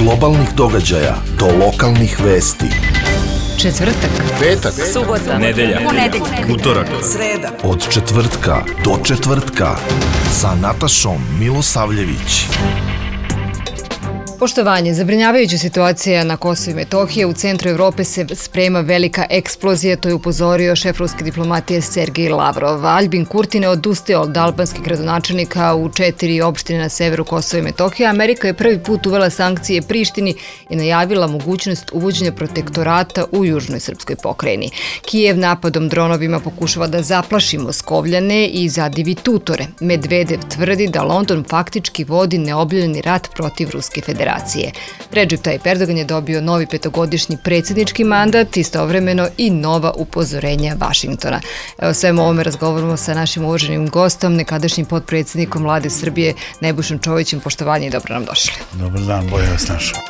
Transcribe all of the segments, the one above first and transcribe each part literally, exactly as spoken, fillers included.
globalnih događaja do lokalnih vesti. Četvrtak, petak, subota, nedelja, ponedeljak, utorak, sreda. Od četvrtka do četvrtka sa Natašom Milosavljević. Poštovanje, zabrinjavajuća situacija na Kosovu i Metohiji. U centru Evrope se sprema velika eksplozija, to je upozorio šef ruske diplomatije Sergej Lavrov. Albin Kurti ne odustaje od albanskih gradonačelnika u četiri opštine na severu Kosova i Metohije. Amerika je prvi put uvela sankcije Prištini i najavila mogućnost uvođenja protektorata u južnoj srpskoj pokrajini. Kijev napadom dronovima pokušava da zaplaši Moskovljane i zadivi tutore. Medvedev tvrdi da London faktički vodi neobjavljeni rat protiv Ruske federacije. Recep Tayyip Erdogan je dobio novi petogodišnji predsjednički mandat, istovremeno i nova upozorenja Vašingtona. Evo, svemu ovome razgovaramo sa našim uvaženim gostom, nekadašnjim potpredsjednikom Vlade Srbije, Nebojšom Čovićem. Poštovanje i dobro nam došli. Dobar dan, bolje vas našao.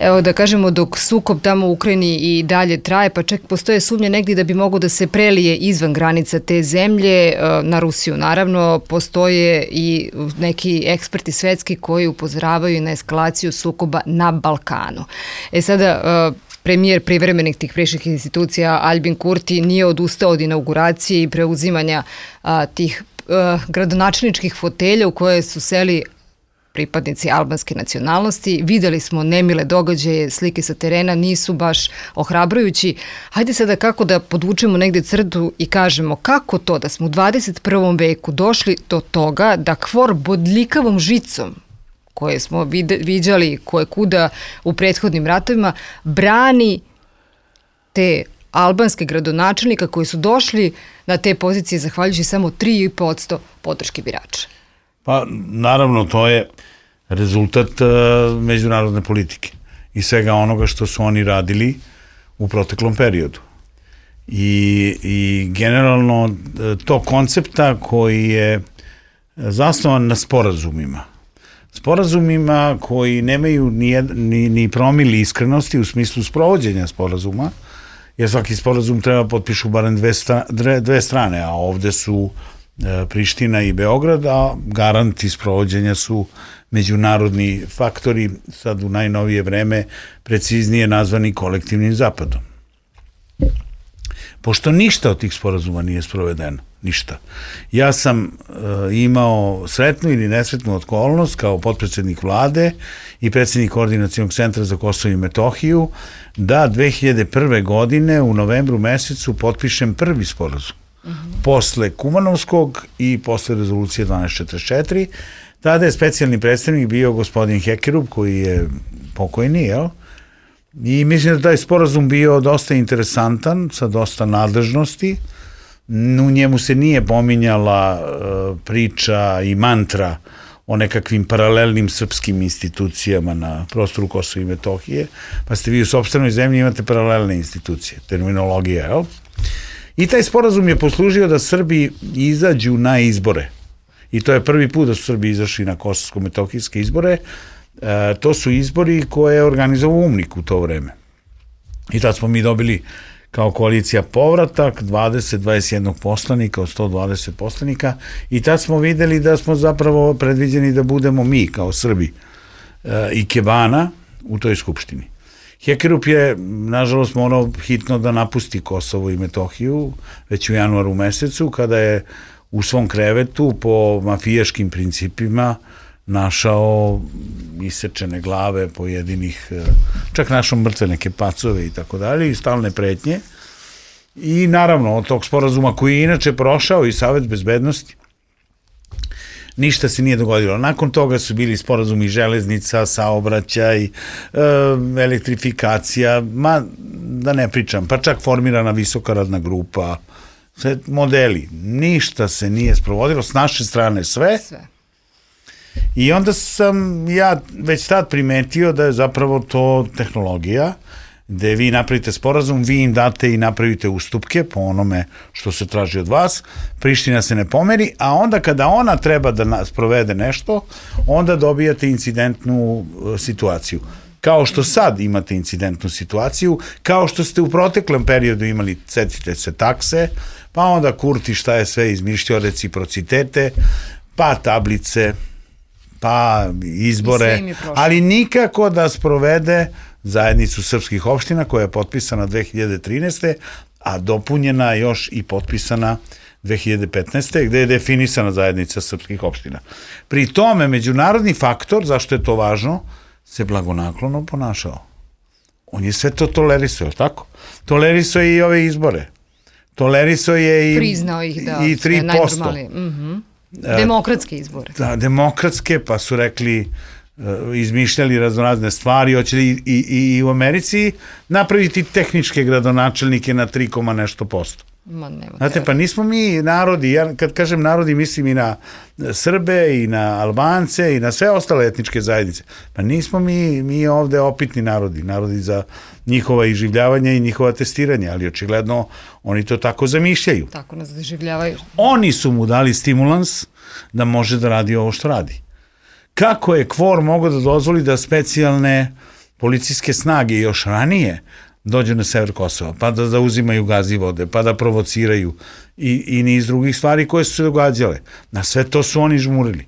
Evo da kažemo, dok sukob tamo u Ukrajini i dalje traje, pa čak postoje sumnje negdje da bi mogo da se prelije izvan granica te zemlje, na Rusiju naravno, postoje i neki eksperti svetski koji upozoravaju na eskalaciju sukoba na Balkanu. E sada, premijer privremenih tih prišćih institucija Albin Kurti nije odustao od inauguracije i preuzimanja a, tih a, gradonačelničkih fotelja u koje su seli pripadnici albanske nacionalnosti. Videli smo nemile događaje, slike sa terena nisu baš ohrabrujući. Hajde sada kako da podvučemo negde crtu i kažemo kako to da smo u dvadeset prvom veku došli do toga da kvor bodljikavom žicom koje smo viđali koje kuda u prethodnim ratovima brani te albanske gradonačelnika koji su došli na te pozicije zahvaljujući samo tri i po posto podrške birača. Pa, naravno, to je rezultat uh, međunarodne politike i svega onoga što su oni radili u proteklom periodu. I, i generalno uh, to koncepta koji je zasnovan na sporazumima. Sporazumima koji nemaju ni, ni, ni promili iskrenosti u smislu sprovođenja sporazuma, jer svaki sporazum treba potpišu barem dve, sta, dve, dve strane, a ovde su Priština i Beograd, a garanti sprovođenja su međunarodni faktori, sad u najnovije vreme preciznije nazvani kolektivnim zapadom. Pošto ništa od tih sporazuma nije sprovedeno, ništa. Ja sam uh, imao sretnu ili nesretnu okolnost kao potpredsjednik vlade i predsjednik Koordinacionog centra za Kosovo i Metohiju da dve hiljade prve. godine u novembru mesecu potpišem prvi sporazum. Mm-hmm. Posle Kumanovskog i posle rezolucije dvanaest četrdeset četiri, tada je specijalni predstavnik bio gospodin Hekerub, koji je pokojni, jel? I mislim da taj sporazum bio dosta interesantan, sa dosta nadležnosti. U njemu se nije pominjala uh, priča i mantra o nekakvim paralelnim srpskim institucijama na prostoru Kosova i Metohije, pa ste vi u sopstvenoj zemlji imate paralelne institucije, terminologija, jel? I taj sporazum je poslužio da Srbi izađu na izbore. I to je prvi put da su Srbi izašli na kosovsko-metohijske izbore. E, to su izbori koje je organizovao UMNIK u to vreme. I tad smo mi dobili kao koalicija povratak dvadeset do dvadeset jedan poslanika od sto dvadeset poslanika i tad smo videli da smo zapravo predviđeni da budemo mi kao Srbi e, i Kebana u toj skupštini. Hekerup je, nažalost, morao hitno da napusti Kosovo i Metohiju već u januaru mesecu, kada je u svom krevetu po mafijaškim principima našao isečene glave pojedinih, čak našao mrtve neke pacove i tako dalje, i stalne pretnje. I naravno, od tog sporazuma koji je inače prošao i Savet bezbednosti, ništa se nije dogodilo. Nakon toga su bili sporazumi železnica, saobraćaj, e, elektrifikacija, ma da ne pričam, pa čak formirana visoka radna grupa, sve modeli. Ništa se nije sprovodilo, s naše strane sve. sve. I onda sam ja već tad primetio da je zapravo to tehnologija, gde vi napravite sporazum, vi im date i napravite ustupke po onome što se traži od vas, Priština se ne pomeri, a onda kada ona treba da sprovede nešto, onda dobijate incidentnu situaciju. Kao što sad imate incidentnu situaciju, kao što ste u proteklom periodu imali, setite se, takse, pa onda Kurti šta je sve izmišljao, reciprocitete, pa tablice, pa izbore, ali nikako da sprovede zajednicu srpskih opština koja je potpisana dve hiljade trinaeste. a dopunjena još i potpisana dve hiljade petnaeste. gde je definisana zajednica srpskih opština. Pri tome, međunarodni faktor, zašto je to važno, se blagonaklono ponašao. On je sve to tolerisao, je li tako? Tolerisao je i ove izbore. Tolerisao je i, priznao ih, da, i tri posto. Mm-hmm. Demokratske izbore. Da, demokratske, pa su rekli, izmišljali raznorazne stvari, hoće li i, i, i u Americi napraviti tehničke gradonačelnike na tri, nešto posto. Ma, nema Znate, pa nismo mi narodi, ja kad kažem narodi mislim i na Srbe i na Albance i na sve ostale etničke zajednice, pa nismo mi, mi ovde opitni narodi, narodi za njihova iživljavanja i njihova testiranja, ali očigledno oni to tako zamišljaju. Tako nas doživljavaju. Oni su mu dali stimulans da može da radi ovo što radi. Kako je KFOR mogao da dozvoli da specijalne policijske snage još ranije dođu na sever Kosova, pa da zauzimaju Gazivode, pa da provociraju i, i niz drugih stvari koje su se događale. Na sve to su oni žmurili.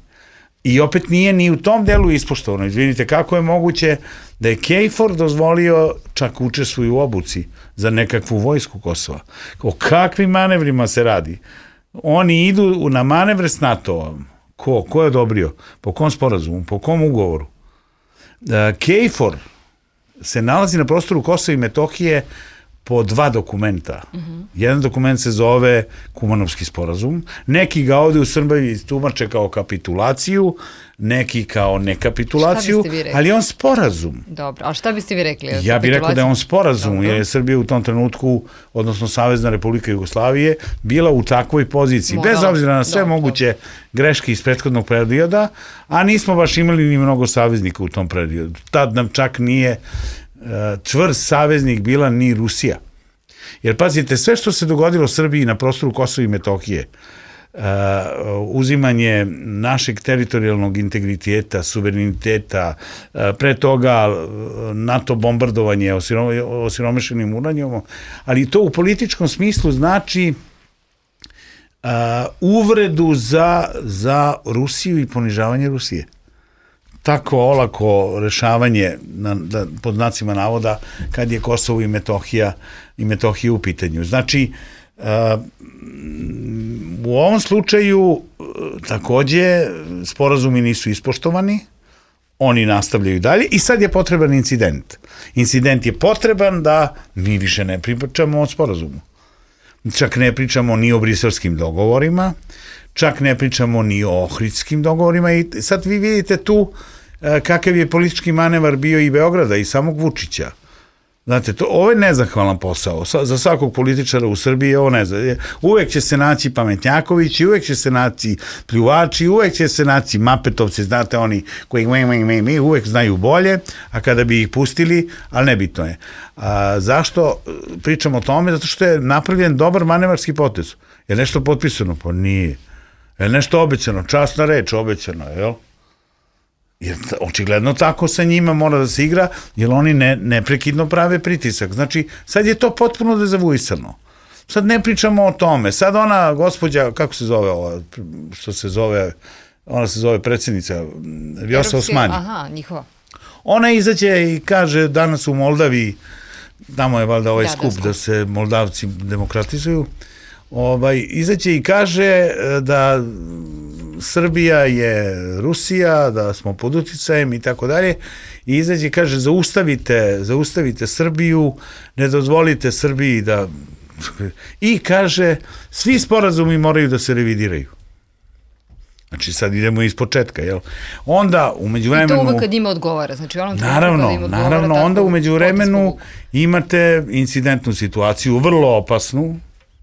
I opet nije ni u tom delu ispoštovano. Izvinite, kako je moguće da je KFOR dozvolio, čak učestvuju u obuci za nekakvu vojsku Kosova. O kakvim manevrima se radi? Oni idu na manevre s NATO-om. Ko? Ko je odobrio? Po kom sporazumu? Po kom ugovoru? KFOR se nalazi na prostoru Kosova i Metohije po dva dokumenta. Mm-hmm. Jedan dokument se zove Kumanovski sporazum, neki ga ovde u Srbiji tumače kao kapitulaciju, neki kao nekapitulaciju, ali on sporazum. Dobro, a šta biste vi rekli? Ja bih rekao da je on sporazum, Dobro. jer je Srbija u tom trenutku, odnosno Savezna Republika Jugoslavije, bila u takvoj poziciji, Morala. bez obzira na sve Dobro. moguće greške iz prethodnog perioda, a nismo baš imali ni mnogo saveznika u tom periodu. Tad nam čak nije uh, čvrst saveznik bila ni Rusija. Jer pazite, sve što se dogodilo Srbiji na prostoru Kosova i Metohije, Uh, uzimanje našeg teritorijalnog integriteta, suvereniteta, uh, pre toga uh, NATO bombardovanje osirom, osiromešenim uranijom, ali to u političkom smislu znači uh, uvredu za, za Rusiju i ponižavanje Rusije. Tako olako rešavanje na, da, pod znacima navoda kad je Kosovo i Metohija i Metohija u pitanju. Znači, uh, u ovom slučaju takođe sporazumi nisu ispoštovani, oni nastavljaju dalje i sad je potreban incident. Incident je potreban da mi više ne pričamo o sporazumu. Čak ne pričamo ni o briselskim dogovorima, čak ne pričamo ni o ohridskim dogovorima i sad vi vidite tu kakav je politički manevar bio i Beograda i samog Vučića. Znate, to, ovo je nezahvalan posao. Za svakog političara u Srbiji je ovo nezahvalan. Uvek će se naći pametnjakovići, uvek će se naći pljuvači, uvek će se naći mapetovci, znate, oni koji mi, mi, mi, mi, uvek znaju bolje, a kada bi ih pustili, ali nebitno je. A, zašto pričamo o tome? Zato što je napravljen dobar manevarski potez. Je nešto potpisano? Pa nije. Je nešto obećano? Časna reč, obećano, jel? Jer očigledno tako sa njima mora da se igra, jer oni ne, neprekidno prave pritisak. Znači, sad je to potpuno dezavuisano. Sad ne pričamo o tome. Sad ona gospođa, kako se zove ova, što se zove, ona se zove predsjednica, Vjosa Osmani. Aha, njihova. Ona izađe i kaže danas u Moldaviji, tamo je valjda ovaj da, skup da, da se Moldavci demokratizuju, ovaj, izađe i kaže da Srbija je Rusija, da smo pod uticajem i tako dalje, i izađe i kaže zaustavite, zaustavite Srbiju, ne dozvolite Srbiji da... I kaže, svi sporazumi moraju da se revidiraju. Znači sad idemo iz početka, jel? Onda u međuvremenu... I to uvek kad njima odgovara, znači onom naravno, kad im odgovara... Naravno, onda u međuvremenu imate incidentnu situaciju, vrlo opasnu,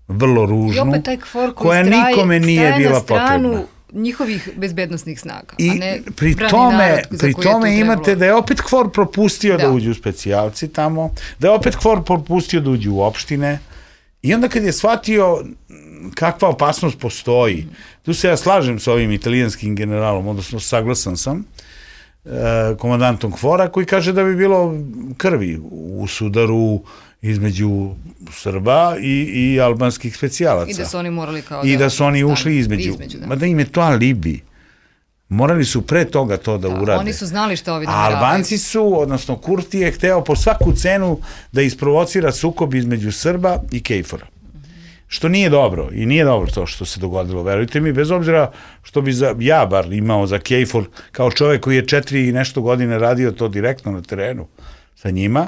vrlo ružnu, i opet taj KFOR koji koja straje, nikome nije bila potrebna. Njihovih bezbednostnih snaga, I a ne pri tome, pri tome imate da je opet KFOR propustio da. da uđu specijalci tamo, da je opet KFOR propustio da uđu u opštine i onda kad je shvatio kakva opasnost postoji, tu se ja slažem sa ovim italijanskim generalom, odnosno saglasan sam, komandantom KFOR-a koji kaže da bi bilo krvi u sudaru između Srba i, i albanskih specijalaca. I da su oni morali kao I da, da su oni ušli između. između da. Ma da im je to alibi. Morali su pre toga to da, da urade. Oni su znali što ovi da nameravaju. A Albanci su, odnosno Kurti je hteo po svaku cenu da isprovocira sukob između Srba i Kejfora. Što nije dobro i nije dobro to što se dogodilo, verujte mi, bez obzira što bi za, ja bar imao za Kejfor kao čovek koji je četiri i nešto godine radio to direktno na terenu sa njima,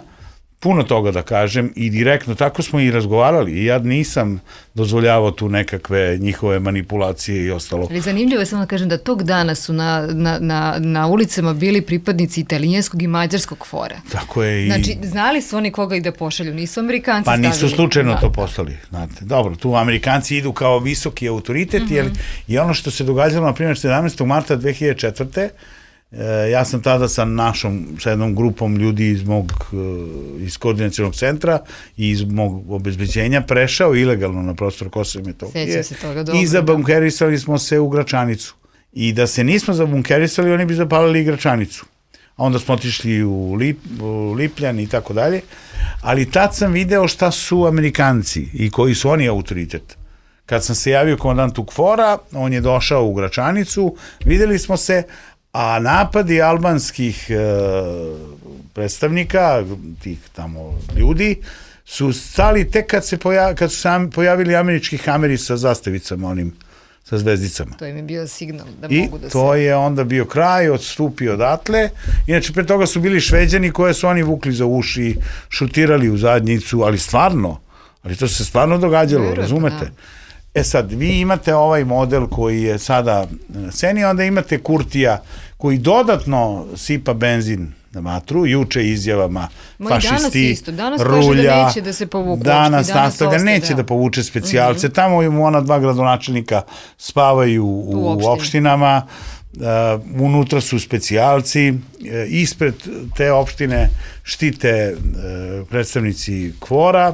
puno toga da kažem i direktno, tako smo i razgovarali i ja nisam dozvoljavao tu nekakve njihove manipulacije i ostalo. Ali zanimljivo je samo da kažem da tog dana su na, na, na, na ulicama bili pripadnici italijanskog i mađarskog fora. Tako je i... Znači, znali su oni koga i da pošalju, nisu Amerikanci stavili. Pa nisu slučajno da, to poslali, znate. Dobro, tu Amerikanci idu kao visoki autoritet, mm-hmm. jer je ono što se događalo, na primjer, sedamnaestog marta dve hiljade četvrte. Ja sam tada sa našom, sa jednom grupom ljudi iz mog, iz koordinacionog centra i iz mog obezbeđenja prešao ilegalno na prostor Kosova i Metohije i zabunkerisali smo se u Gračanicu. I da se nismo zabunkerisali, oni bi zapalili Gračanicu. A onda smo otišli u, Lip, u Lipljan i tako dalje. Ali tad sam video šta su Amerikanci i koji su oni autoritet. Kad sam se javio komandantu KFOR-a, on je došao u Gračanicu, videli smo se, a napadi albanskih e, predstavnika, tih tamo ljudi, su stali tek kad, se pojav, kad su se pojavili američki hameri sa zastavicama, onim, sa zvezdicama. To im je bio signal da I mogu da se... I to je onda bio kraj, odstupio odatle. Inače, pre toga su bili Šveđani koje su oni vukli za uši, šutirali u zadnjicu, ali stvarno, ali to se stvarno događalo, Vjerujete, razumete? Da. E sad, vi imate ovaj model koji je sada na sceni, onda imate Kurtija koji dodatno sipa benzin na vatru, juče izjavama Mo fašisti, isto. Danas rulja, da neće da se povuku, danas nastavlja, ostaje, neće da. da povuče specijalce, mm-hmm. tamo mu ona dva gradonačelnika spavaju u, u opštini. opštinama, uh, unutra su specijalci, uh, ispred te opštine štite uh, predstavnici KFOR-a.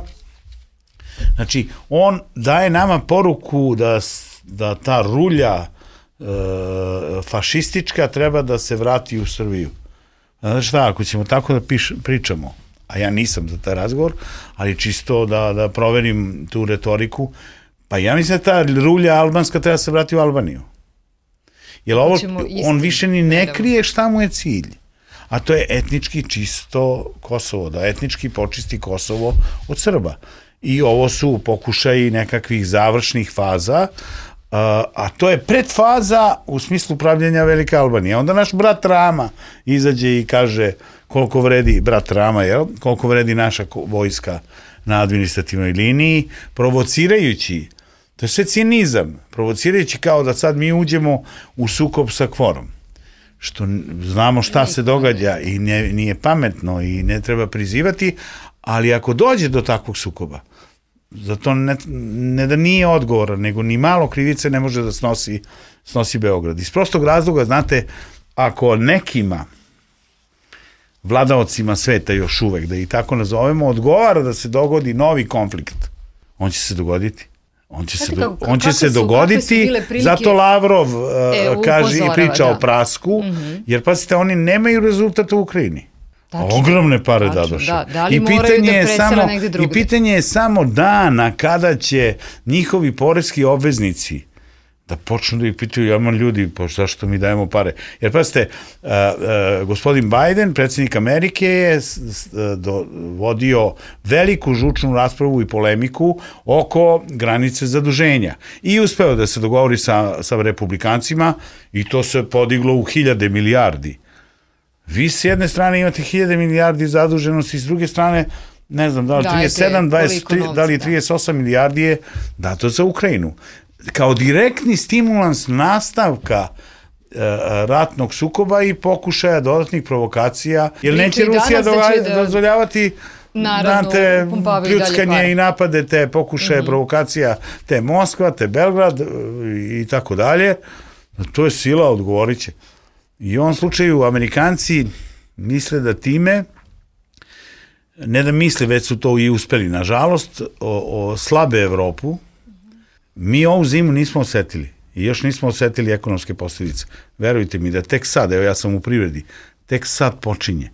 Znači, on daje nama poruku da, da ta rulja e, fašistička treba da se vrati u Srbiju. Znači šta, ako ćemo tako da piš, pričamo, a ja nisam za taj razgovor, ali čisto da, da proverim tu retoriku, pa ja mislim da ta rulja albanska treba se vrati u Albaniju. Jer ovo, on više ni ne krije šta mu je cilj. A to je etnički čisto Kosovo, da etnički počisti Kosovo od Srba. I ovo su pokušaji nekakvih završnih faza, a, a to je predfaza u smislu upravljanja Velike Albanije. Onda naš brat Rama izađe i kaže koliko vredi, brat Rama, jel? Koliko vredi naša vojska na administrativnoj liniji, provocirajući, to je sve cinizam, provocirajući kao da sad mi uđemo u sukob sa KFOR-om. Što znamo šta se događa i ne, nije pametno i ne treba prizivati, ali ako dođe do takvog sukoba, zato ne, ne da nije odgovor, nego ni malo krivice ne može da snosi, snosi Beograd. Iz prostog razloga, znate, ako nekima vladaocima sveta još uvek, da ih tako nazovemo, odgovara da se dogodi novi konflikt, on će se dogoditi. On će se, do, on će se su, dogoditi, zato Lavrov uh, e, kaže i priča da. o prasku, mm-hmm. jer pazite, oni nemaju rezultata u Ukrajini. Tačno, ogromne pare dadoše. Da, da I pitanje da je samo i pitanje je samo dana kada će njihovi poreski obveznici da počnu da ih pitaju, ja man ljudi, pa zašto mi dajemo pare? Jer pazite, uh, uh, gospodin Biden, predsjednik Amerike, je do, vodio veliku žučnu raspravu i polemiku oko granice zaduženja. I uspeo da se dogovori sa, sa republikancima i to se podiglo u hiljade milijardi. Vi s jedne strane imate hiljade milijardi zaduženosti, s druge strane, ne znam, da li trideset sedam, dvadeset tri, da li trideset osam milijardi je dato za Ukrajinu. Kao direktni stimulans nastavka e, ratnog sukoba i pokušaja dodatnih provokacija, jer neće Rusija da dozvoljavati znate, pljuckanje i napade te pokušaje mm-hmm. provokacija te Moskva, te Belgrad i tako dalje. To je sila, odgovorit će. I u ovom slučaju Amerikanci misle da time, ne da misle, već su to i uspeli, nažalost, o, o slabe Evropu, mi ovu zimu nismo osetili i još nismo osetili ekonomske posljedice. Verujte mi da tek sad, evo ja sam u privredi, tek sad počinje.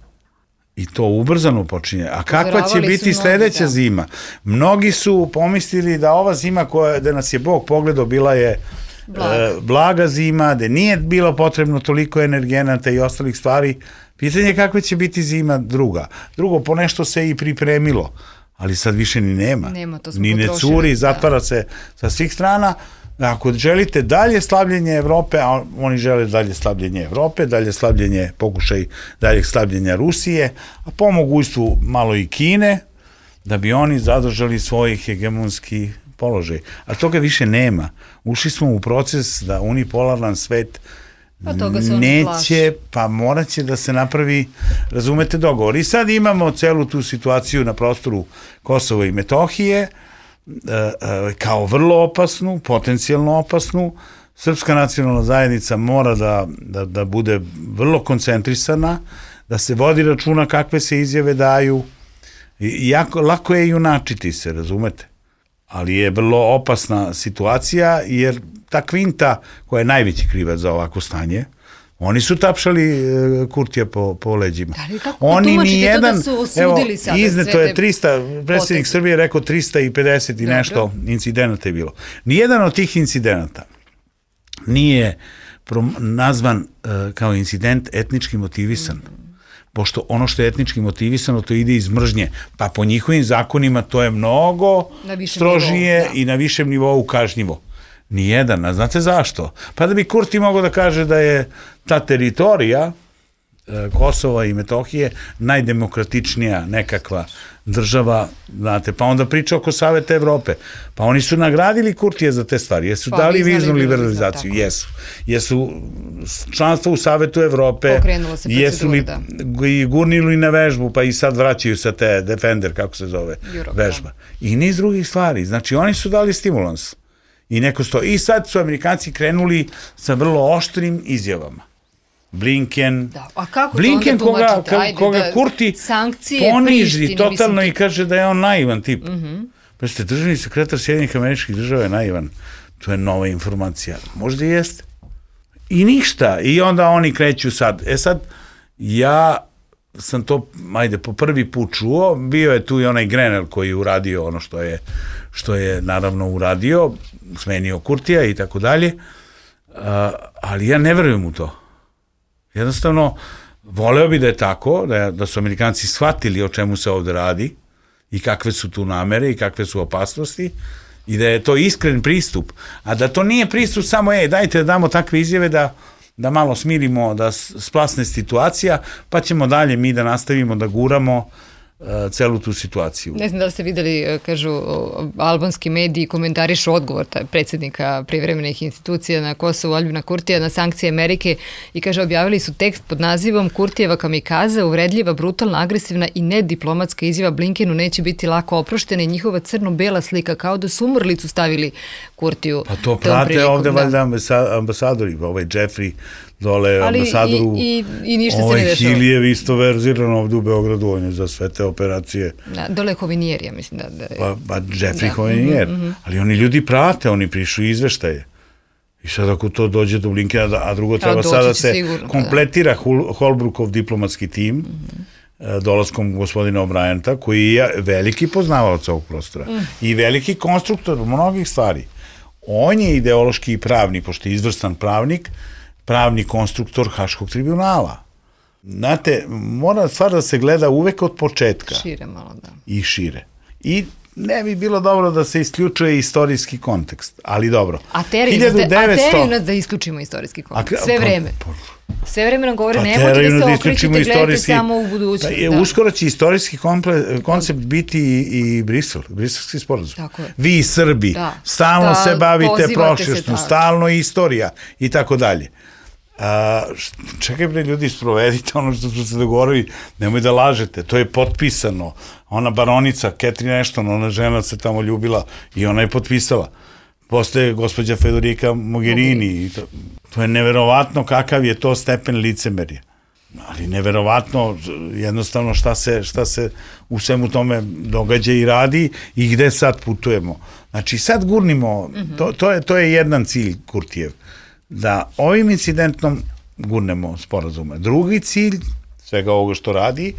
I to ubrzano počinje. A kakva će biti mnogi, sledeća da. zima? Mnogi su pomislili da ova zima koja, da nas je Bog pogledao bila je Blaga. blaga zima, gde nije bilo potrebno toliko energenata i ostalih stvari. Pitanje je kakva će biti zima druga. Drugo, po nešto se i pripremilo, ali sad više ni nema. Nema, to smo ni ne potrošili, curi, da. zatvara se sa svih strana. Ako želite dalje slabljenje Evrope, a oni žele dalje slabljenje Evrope, dalje slabljenje, pokušaj daljeg slabljenja Rusije, a po mogućstvu malo i Kine, da bi oni zadržali svoj hegemonski položaj. A toga više nema. Ušli smo u proces da unipolaran svet Pa toga se oni neće, plaše. pa morat će da se napravi, razumete, dogovor. I sad imamo celu tu situaciju na prostoru Kosova i Metohije, kao vrlo opasnu, potencijalno opasnu. Srpska nacionalna zajednica mora da, da, da bude vrlo koncentrisana, da se vodi računa kakve se izjave daju. I jako, lako je junačiti se, razumete? Ali je vrlo opasna situacija, jer ta kvinta koja je najveći krivac za ovako stanje, oni su tapšali e, Kurtija po, po leđima. Da li kako oni tumačite nijedan, to da su osudili sada izneto sve je te trista, predsjednik poteze? Srbije je rekao trista pedeset i Dobro. nešto incidenata je bilo. Nijedan od tih incidenata nije prom, nazvan e, kao incident etnički motivisan. Mm. Pošto ono što je etnički motivisano, to ide iz mržnje. Pa po njihovim zakonima to je mnogo strožije nivou, da. i na višem nivou kažnjivo. Nijedan, a znate zašto? Pa da bi Kurti mogao da kaže da je ta teritorija e, Kosova i Metohije najdemokratičnija nekakva država, znate, pa onda priča oko Saveta Evrope. Pa oni su nagradili Kurtije za te stvari. Jesu pa, dali viznu viznu liberalizaciju, liberalizaciju? Jesu. Jesu članstvo u Savetu Evrope, pokrenulo se jesu li da. i gurnili na vežbu, pa i sad vraćaju se te Defender, kako se zove, Europa. vežba. I niz drugih stvari. Znači, oni su dali stimulans. I neko sto. I sad su Amerikanci krenuli sa vrlo oštrim izjavama. Blinken, Da. A kako Blinken to onda tumačite? koga, Ajde, koga da Kurti sankcije poniži Prištini, totalno mislim, i kaže da je on naivan tip. Mm-hmm. Pa ste državni sekretar Sjedinjenih Američkih Država je naivan. To je nova informacija. Možda i jeste. I ništa. I onda oni kreću sad. E sad, ja sam to, ajde, po prvi put čuo, bio je tu i onaj Grenell koji je uradio ono što je, što je naravno uradio, smenio Kurtija i tako dalje, ali ja ne verujem u to. Jednostavno, voleo bi da je tako, da, da su Amerikanci shvatili o čemu se ovde radi i kakve su tu namere i kakve su opasnosti i da je to iskren pristup, a da to nije pristup samo, ej, dajte da damo takve izjave da da malo smirimo, da splasne situacija, pa ćemo dalje mi da nastavimo da guramo uh, celu tu situaciju. Ne znam da li ste videli, kažu, albanski mediji komentarišu odgovor predsjednika privremenih institucija na Kosovu, Aljbina Kurtija, na sankcije Amerike i kaže, objavili su tekst pod nazivom Kurtijeva kamikaza, uvredljiva, brutalna, agresivna i nediplomatska izjava Blinkenu neće biti lako oproštena i njihova crno-bela slika, kao da su umrlicu stavili Kurtiju. Pa to prate ovde da. Valjda ambasadori, ovaj Jeffrey dole, ali ambasadoru, i, i, i ništa ovaj se ne dešava. Hilijev isto verzirano ovde u Beogradu, on je za sve te operacije. Da, dole je Hovinier, ja mislim da... da pa, pa Jeffrey da. Hovinier, Mm-hmm. ali oni ljudi prate, oni prišu izveštaje. I sad ako to dođe do Blinkena, a drugo treba a, sada se sigurno, kompletira da. Holbrookov diplomatski tim, mm-hmm. dolaskom gospodina O'Brienta, koji je veliki poznavalac ovog prostora mm. i veliki konstruktor mnogih stvari. On je ideološki i pravni, pošto je izvrstan pravnik, pravni konstruktor Haškog tribunala. Znate, mora stvar da se gleda uvek od početka. Šire malo, da. I šire. I ne bi bilo dobro da se isključuje istorijski kontekst, ali dobro. A teraju nas, devetsto... nas da isključimo istorijski kontekst, sve vreme. Pa, pa, sve vreme nam govore, pa, nemojte da se okrećete, gledajte samo u budućnost. Da. Uskoro će istorijski komple, koncept biti i, i Brisel, briselski sporazum. Tako je. Vi Srbi, da. stalno da, se bavite prošlošću, stalno istorija i tako dalje. A, čekaj bre ljudi, sprovedite ono što smo se dogovorili, nemoj da lažete, to je potpisano. Ona baronica Catherine Ashton, ona žena se tamo ljubila i ona je potpisala. Posle gospođa Federica Mogherini, i to, to je neverovatno kakav je to stepen licemerja. Ali neverovatno jednostavno šta se, šta se u svemu tome događa i radi i gde sad putujemo. Znači sad gurnimo, mm-hmm. to, to, je, to je jedan cilj Kurtijev, da ovim incidentom gurnemo sporazume. Drugi cilj svega ovoga što radi,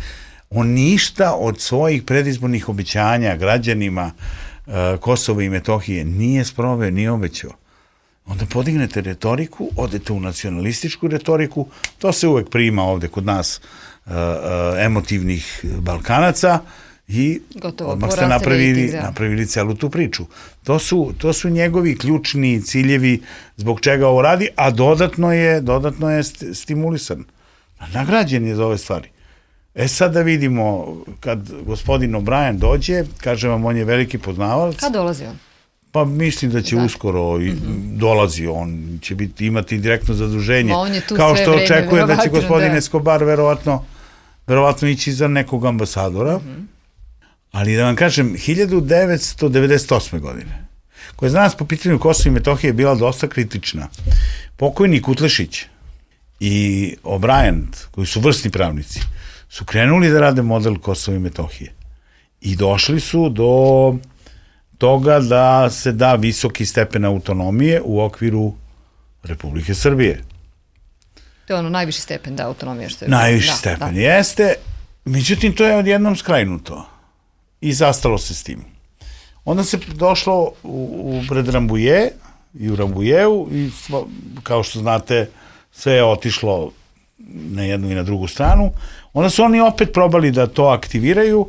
on ništa od svojih predizbornih obećanja građanima uh, Kosova i Metohije nije sproveo, nije obećao. onda podignete retoriku, odete u nacionalističku retoriku, to se uvek prima ovde kod nas uh, uh, emotivnih Balkanaca i gotovo, odmah ste napravili, napravili celu tu priču. To su, to su njegovi ključni ciljevi zbog čega ovo radi, a dodatno je, dodatno je stimulisan. Nagrađen je za ove stvari. E sad da vidimo, kad gospodin O'Brien dođe, kažem vam, on je veliki poznavalac. Kad dolazi on? Pa mislim da će da. uskoro i mm-hmm. dolazi, on će biti, imati direktno zaduženje. Kao što očekuje da će gospodin da. Escobar verovatno, verovatno ići za nekog ambasadora. Mm-hmm. Ali da vam kažem, hiljadu devetsto devedeset osme. godine, koja je za nas po pitanju Kosova i Metohije bila dosta kritična. Pokojni Kutlešić i O'Brien, koji su vrsni pravnici, su krenuli da rade model Kosova i Metohije. I došli su do toga da se da visoki stepen autonomije u okviru Republike Srbije. To je ono najviši stepen, da, autonomije. Što je najviši da, stepen, da. Jeste. Međutim, to je odjednom skrajnuto. I zastalo se s tim. Onda se došlo u, u pred Rambuje i u Rambujeu i kao što znate sve je otišlo na jednu i na drugu stranu. Onda su oni opet probali da to aktiviraju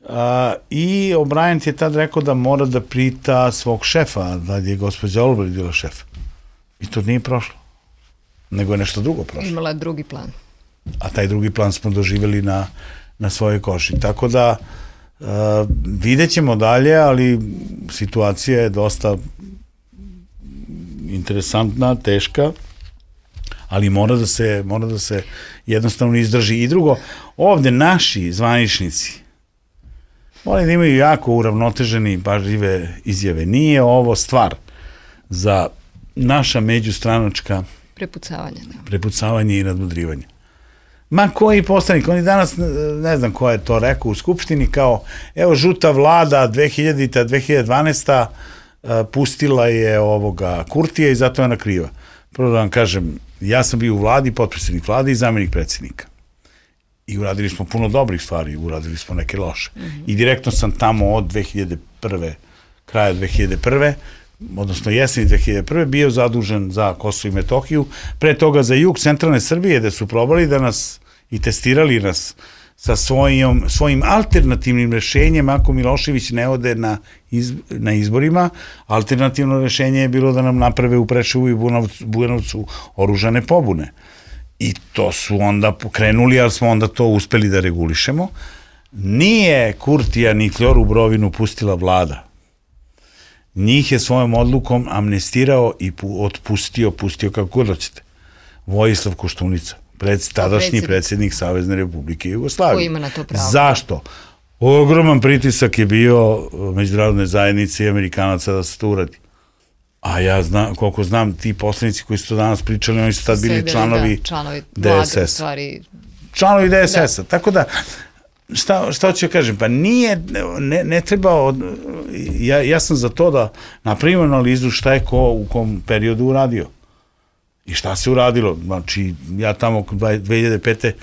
a, i O'Brien je tad rekao da mora da prita svog šefa, da je gospođa Albright bila šef. I to nije prošlo. Nego je nešto drugo prošlo. Imala je drugi plan. A taj drugi plan smo doživjeli na, na svojoj koži. Tako da Uh, vidjet ćemo dalje, ali situacija je dosta interesantna, teška, ali mora da se, mora da se jednostavno izdrži. I drugo, ovde naši zvaničnici moraju da imaju jako uravnoteženi, pažljive izjave. Nije ovo stvar za naša međustranačka prepucavanje, da. prepucavanje i nadmudrivanje. Ma koji poslanik, oni danas, ne znam ko je to rekao u Skupštini, kao, evo, žuta vlada dve hiljadita dve hiljade dvanaeste. pustila je ovoga Kurtija i zato je ona kriva. Prvo da vam kažem, ja sam bio u vladi, potpredsjednik vlade i zamjenik predsjednika. I uradili smo puno dobrih stvari, uradili smo neke loše. Mm-hmm. I direktno sam tamo od dve hiljade prve. kraja dve hiljade prve. odnosno jeseni dve hiljade prve. bio zadužen za Kosovo i Metohiju, pre toga za jug centralne Srbije, gde su probali da nas i testirali nas sa svojim, svojim alternativnim rešenjem ako Milošević ne ode na, iz, na izborima. Alternativno rešenje je bilo da nam naprave u Preševu i Bujanovcu oružane pobune. I to su onda pokrenuli, ali smo onda to uspeli da regulišemo. Nije Kurtija ni Kljoru Brovinu pustila vlada. Njih je svojom odlukom amnestirao i otpustio, pustio kako god hoćete. Vojislav Koštunica, pred, tadašnji predsjednik Savezne Republike Jugoslavije. Ko ima na to pravo? Zašto? Ogroman pritisak je bio međunarodne zajednice i Amerikanaca da se to uradi. A ja znam, koliko znam, ti poslanici koji su to danas pričali, oni su tad bili Sedeli, članovi, da, članovi D S S-a. Stvari... Članovi D S S-a. Da. Tako da, šta, šta ću kažem, pa nije, ne, ne treba, od, ja, ja sam za to da napravimo analizu šta je ko u kom periodu uradio. I šta se uradilo. Znači, ja tamo dve hiljade pete.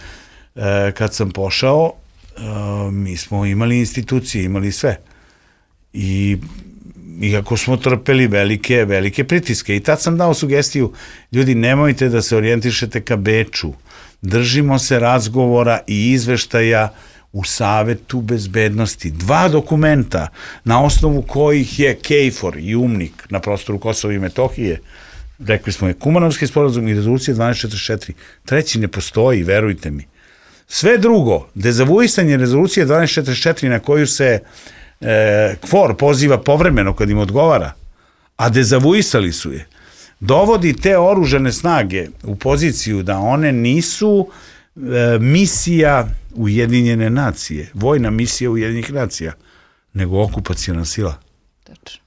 kad sam pošao, mi smo imali institucije, imali sve. I iako smo trpeli velike, velike pritiske. I tad sam dao sugestiju, ljudi, nemojte da se orijentišete ka Beču. Držimo se razgovora i izveštaja u Savetu bezbednosti. Dva dokumenta na osnovu kojih je KFOR i UMNIK na prostoru Kosova i Metohije, rekli smo je Kumanovski sporazum i rezolucija dvanaest četrdeset četiri. Treći ne postoji, verujte mi. Sve drugo, dezavuisanje rezolucije dvanaest četrdeset četiri na koju se e, KFOR poziva povremeno kad im odgovara, a dezavuisali su je, dovodi te oružane snage u poziciju da one nisu e, misija Ujedinjene nacije, vojna misija Ujedinjenih nacija, nego okupacijona sila. Tačno.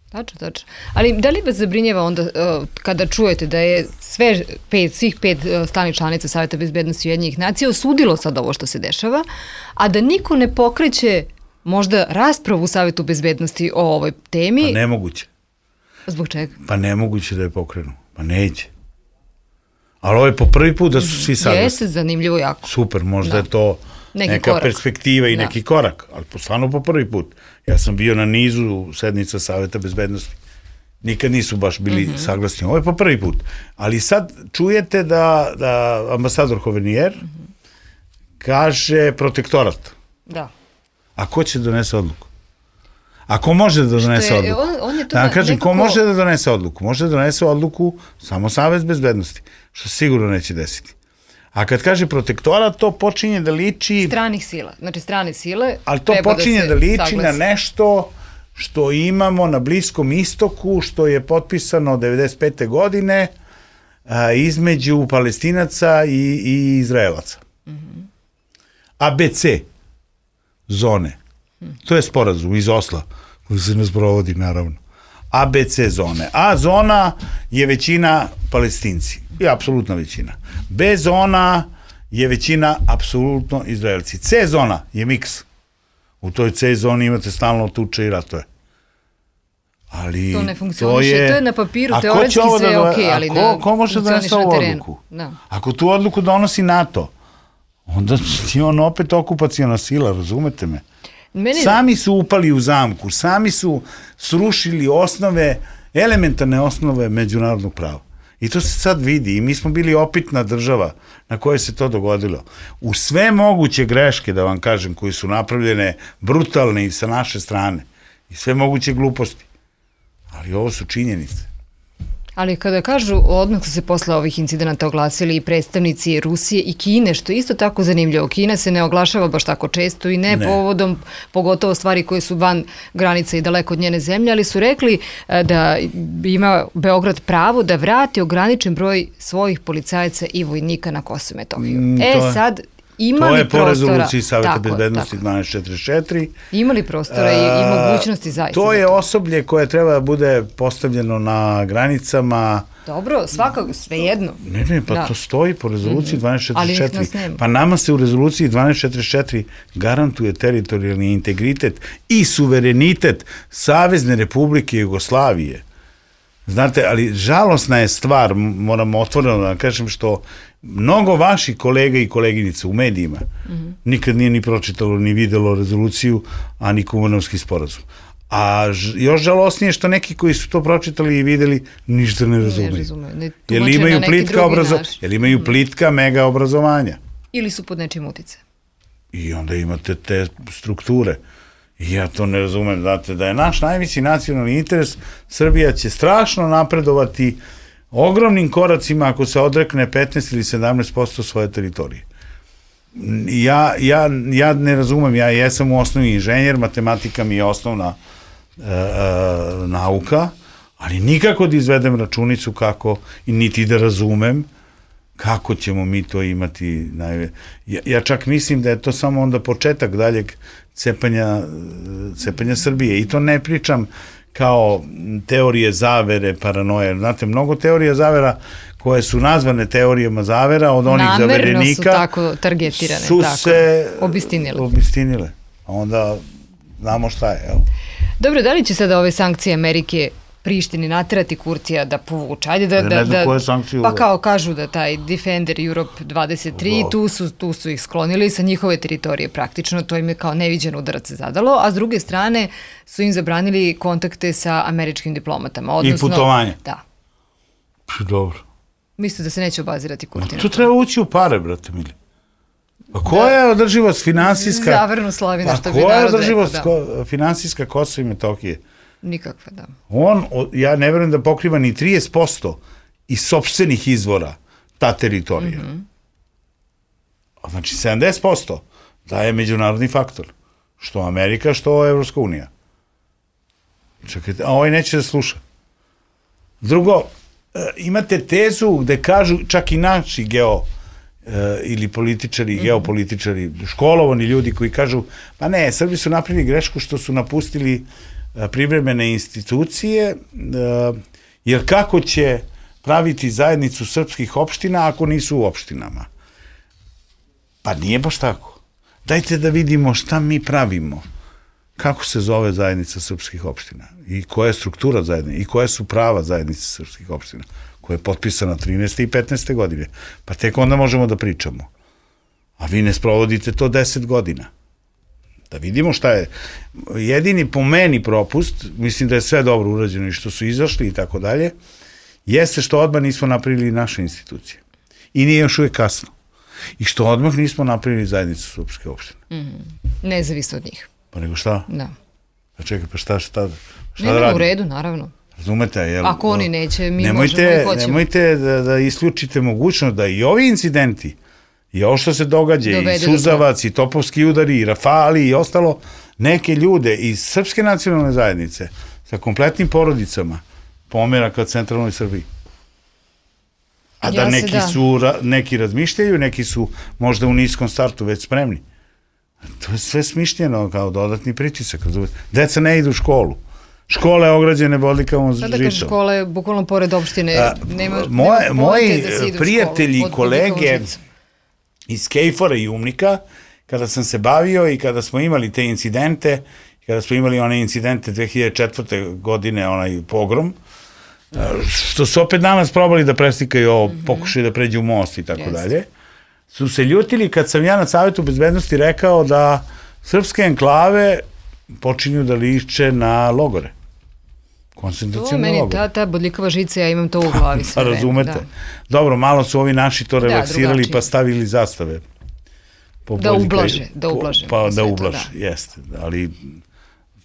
Tačno, tačno. Ali da li vas zabrinjeva onda uh, kada čujete da je sve pet, svih pet uh, stalnih članica Saveta bezbednosti Ujedinjenih nacija osudilo sad ovo što se dešava, a da niko ne pokreće možda raspravu u Savetu bezbednosti o ovoj temi? Pa nemoguće. Zbog čega? Pa nemoguće da je pokrenu. Pa neće. Ali ovo je po prvi put da su svi saglasni. Jeste, zanimljivo jako. Super, možda da. je to neki neka korak. Perspektiva i da. neki korak, ali stvarno po prvi put. Ja sam bio na nizu sednica Saveta bezbednosti Nikad nisu baš bili mm-hmm. saglasni. Ovo je po prvi put. Ali sad čujete da, da ambasador Hovenier mm-hmm. kaže protektorat. Da. A ko će donese odluku? A ko može da donese je, odluku? On, on je da, kažem, nekako... ko može da donese odluku? Može da donese odluku samo Savez bezbednosti, što sigurno neće desiti. A kad kaže protektorat, to počinje da liči... Stranih sila, znači strane sile... Ali to počinje da, da liči saglasi. Na nešto što imamo na Bliskom istoku, što je potpisano devedeset pete godine a, između Palestinaca i, i Izraelaca. Mm-hmm. A B C zone. To je sporazum iz Osla, koji se ne sprovodi, naravno. A B C zone. A zona je većina Palestinci. I apsolutna većina. B zona je većina apsolutno Izraelci. C zona je miks. U toj C zoni imate stalno tuče i ratove. Ali to ne funkcioniše, to je, to je na papiru, teoretski sve je okej, okay, ali ko, ne ko može da donese ovu odluku? Da. Ako tu odluku donosi NATO, onda je on opet okupacijona sila, razumete me? Meni... Sami su upali u zamku, sami su srušili osnove, elementarne osnove međunarodnog prava. I to se sad vidi. I mi smo bili opitna država na kojoj se to dogodilo. U sve moguće greške, da vam kažem, koje su napravljene brutalne i sa naše strane. I sve moguće gluposti. Ali ovo su činjenice. Ali kada kažu, odmah su se posle ovih incidenata oglasili i predstavnici Rusije i Kine, što je isto tako zanimljivo. Kina se ne oglašava baš tako često i ne, ne. povodom, pogotovo stvari koje su van granica i daleko od njene zemlje, ali su rekli da ima Beograd pravo da vrati ograničen broj svojih policajaca i vojnika na Kosovo i Metohiju. Mm, e je... sad... Imali to je po prostora, rezoluciji Saveta bezbednosti dvanaest četrdeset četiri. Imali prostora i, i mogućnosti zaista. To je osoblje koje treba da bude postavljeno na granicama. Dobro, svakako, svejedno. Ne, ne, pa da. To stoji po rezoluciji dvanaest četrdeset četiri. Pa nama se u rezoluciji dvanaest četrdeset četiri garantuje teritorijalni integritet i suverenitet Savezne Republike Jugoslavije. Znate, ali žalosna je stvar, moramo otvoreno da kažem, što mnogo vaših kolega i koleginica u medijima mm-hmm. nikad nije ni pročitalo, ni videlo rezoluciju, a ni Kumanovski sporazum. A ž, još žalosnije što neki koji su to pročitali i videli ništa ne razumeju. Ne razumeju. Ne jer imaju plitka, obrazo, jer imaju plitka mega obrazovanja. Ili su pod nečim uticajem. I onda imate te strukture. I ja to ne razumem, znate, da je naš najveći nacionalni interes, Srbija će strašno napredovati ogromnim koracima ako se odrekne petnaest ili sedamnaest posto svoje teritorije. Ja, ja, ja ne razumem, ja jesam u osnovi inženjer, matematika mi je osnovna e, e, nauka, ali nikako da izvedem računicu kako, i niti da razumem kako ćemo mi to imati. Najve... Ja, ja čak mislim da je to samo onda početak daljeg cepanja, cepanja Srbije. I to ne pričam kao teorije zavere, paranoje. Znate, mnogo teorija zavera koje su nazvane teorijama zavera od onih namerno zaverenika su tako targetirane, su tako, se obistinile. obistinile. A onda znamo šta je. Evo. Dobro, da li će sada ove sankcije Amerike Prištini naterati Kurtija da povuče? Ajde da, da, ne znam da, koje sankcije pa kao kažu da taj Defender Europe dvadeset tri, tu su, tu su ih sklonili sa njihove teritorije praktično, to im je kao neviđen udarac zadalo, a s druge strane su im zabranili kontakte sa američkim diplomatama. Odnosno, i putovanje. Da. Dobro. Mislite da se neće obazirati Kurtija? To treba ući u pare, brate mili. Pa koja da, je održivost finansijska... Zavrnu Slavina, što bi narod rekao. Pa koja je održivost da. finansijska Kosova i Metohije? Nikakva, da. On, ja ne verujem da pokriva ni trideset posto iz sopstvenih izvora ta teritorija. Mm-hmm. Znači, sedamdeset posto daje međunarodni faktor. Što Amerika, što Evropska unija. Čekajte, a ovaj neće da sluša. Drugo, imate tezu gde kažu, čak i naši geo ili političari, mm-hmm. geopolitičari, školovani ljudi koji kažu, pa ne, Srbi su napravili grešku što su napustili privremene institucije, jer kako će praviti zajednicu srpskih opština ako nisu u opštinama? Pa nije baš tako. Dajte da vidimo šta mi pravimo. Kako se zove zajednica srpskih opština? I koja je struktura zajednice? I koja su prava zajednice srpskih opština? Koja je potpisana trinaeste i petnaeste godine. Pa tek onda možemo da pričamo. A vi ne sprovodite to deset godina. Da vidimo šta je. Jedini po meni propust, mislim da je sve dobro urađeno i što su izašli i tako dalje, jeste što odmah nismo napravili naše institucije. I nije još uvijek kasno. I što odmah nismo napravili zajednicu Srpske opštine. Mm, nezavisno od njih. Pa nego šta? Da. Pa čekaj, pa šta, šta, šta Nema da radimo? u redu, naravno. Razumete? Jel, Ako oni neće, mi nemojte, možemo i hoćemo. Nemojte da, da isključite mogućnost da i ovi incidenti, i ovo što se događa, dovede i Suzavac, i Topovski udari, i Rafali, i ostalo, neke ljude iz Srpske nacionalne zajednice sa kompletnim porodicama pomera ka centralnoj Srbiji. A da ja neki da. su, neki razmišljaju, neki su možda u niskom startu već spremni. To je sve smišljeno kao dodatni pritisak. Deca ne idu u školu. Škola je ograđene bodljikavom žitom. Sada kaže škola je bukvalno pored opštine. A, nema, moje, nema moji da se ide prijatelji i kolege žitom. iz Kejfora i Umnika, kada sam se bavio i kada smo imali te incidente, kada smo imali one incidente dve hiljade četvrte. godine, onaj pogrom, što su opet danas probali da preslikaju ovo, mm-hmm. pokušaju da pređu u most i tako yes. dalje, su se ljutili kad sam ja na Savetu bezbednosti rekao da srpske enklave počinju da liče na logore. Koncentracione logore. To meni, ta, ta bodljikava žica, ja imam to u glavi sve vreme. Razumete? Da. Dobro, malo su ovi naši to relaksirali da, pa stavili zastave. Po da ublaže, da ublaže. Pa da ublaže, da. Jeste. Ali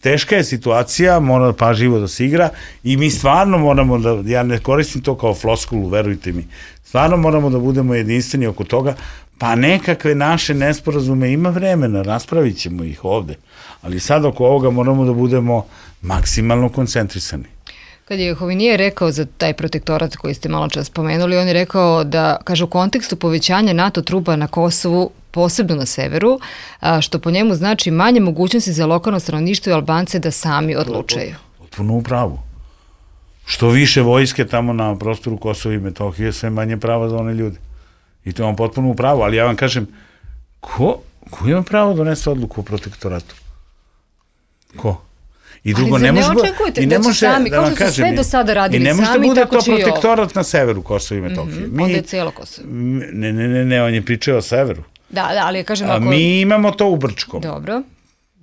teška je situacija, mora pažljivo da se igra i mi stvarno moramo da, ja ne koristim to kao floskulu, verujte mi, stvarno moramo da budemo jedinstveni oko toga, pa nekakve naše nesporazume, ima vremena, raspravit ćemo ih ovde, ali sad oko ovoga moramo da budemo maksimalno koncentrisani. Kad je Hovinije rekao za taj protektorat koji ste malo čas spomenuli, on je rekao da, kaže, u kontekstu povećanja NATO trupa na Kosovu, posebno na severu, a, što po njemu znači manje mogućnosti za lokalno stanovništvo i Albance da sami odlučaju. Potpuno u pravu. Što više vojske tamo na prostoru Kosova i Metohije, sve manje prava za one ljude. I to je on potpuno u pravu, ali ja vam kažem, ko, ko ima pravo da donese odluku o protektoratu? Ko? I drugo, ali ne, ne može, očekujete i ne da će može, sami, da kao vam što su sve do sada radili sami, i ne može sami, da bude tako to će i ovo. protektorat na severu Kosova i Metohije. Mm-hmm. Mi, onda je cijelo Kosovo. Ne, ne, ne, ne, on je pričao o severu. Da, da, ali ja kažem ako... A mi imamo to u Brčkom. Dobro.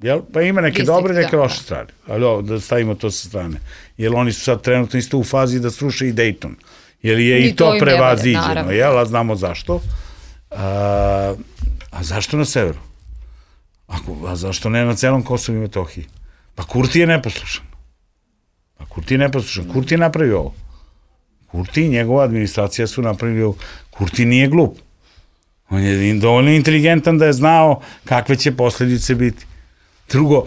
Jel? Pa ima neke Distrikt, dobre, neke da, loše da. strane. Ali ovo, da stavimo to sa strane. Jer oni su sad trenutno isto u fazi da sruše i Dayton. Jer je i, i to, to prevaziđeno. Jel? A znamo zašto. A, a zašto na severu? Ako, a zašto ne na celom Kosovu i Metohiji? Pa Kurti je neposlušan. Pa Kurti je neposlušan. Kurti je napravio ovo. Kurti i njegova administracija su napravili ovo. Kurti nije glup. On je dovoljno inteligentan da je znao kakve će posljedice biti. Drugo,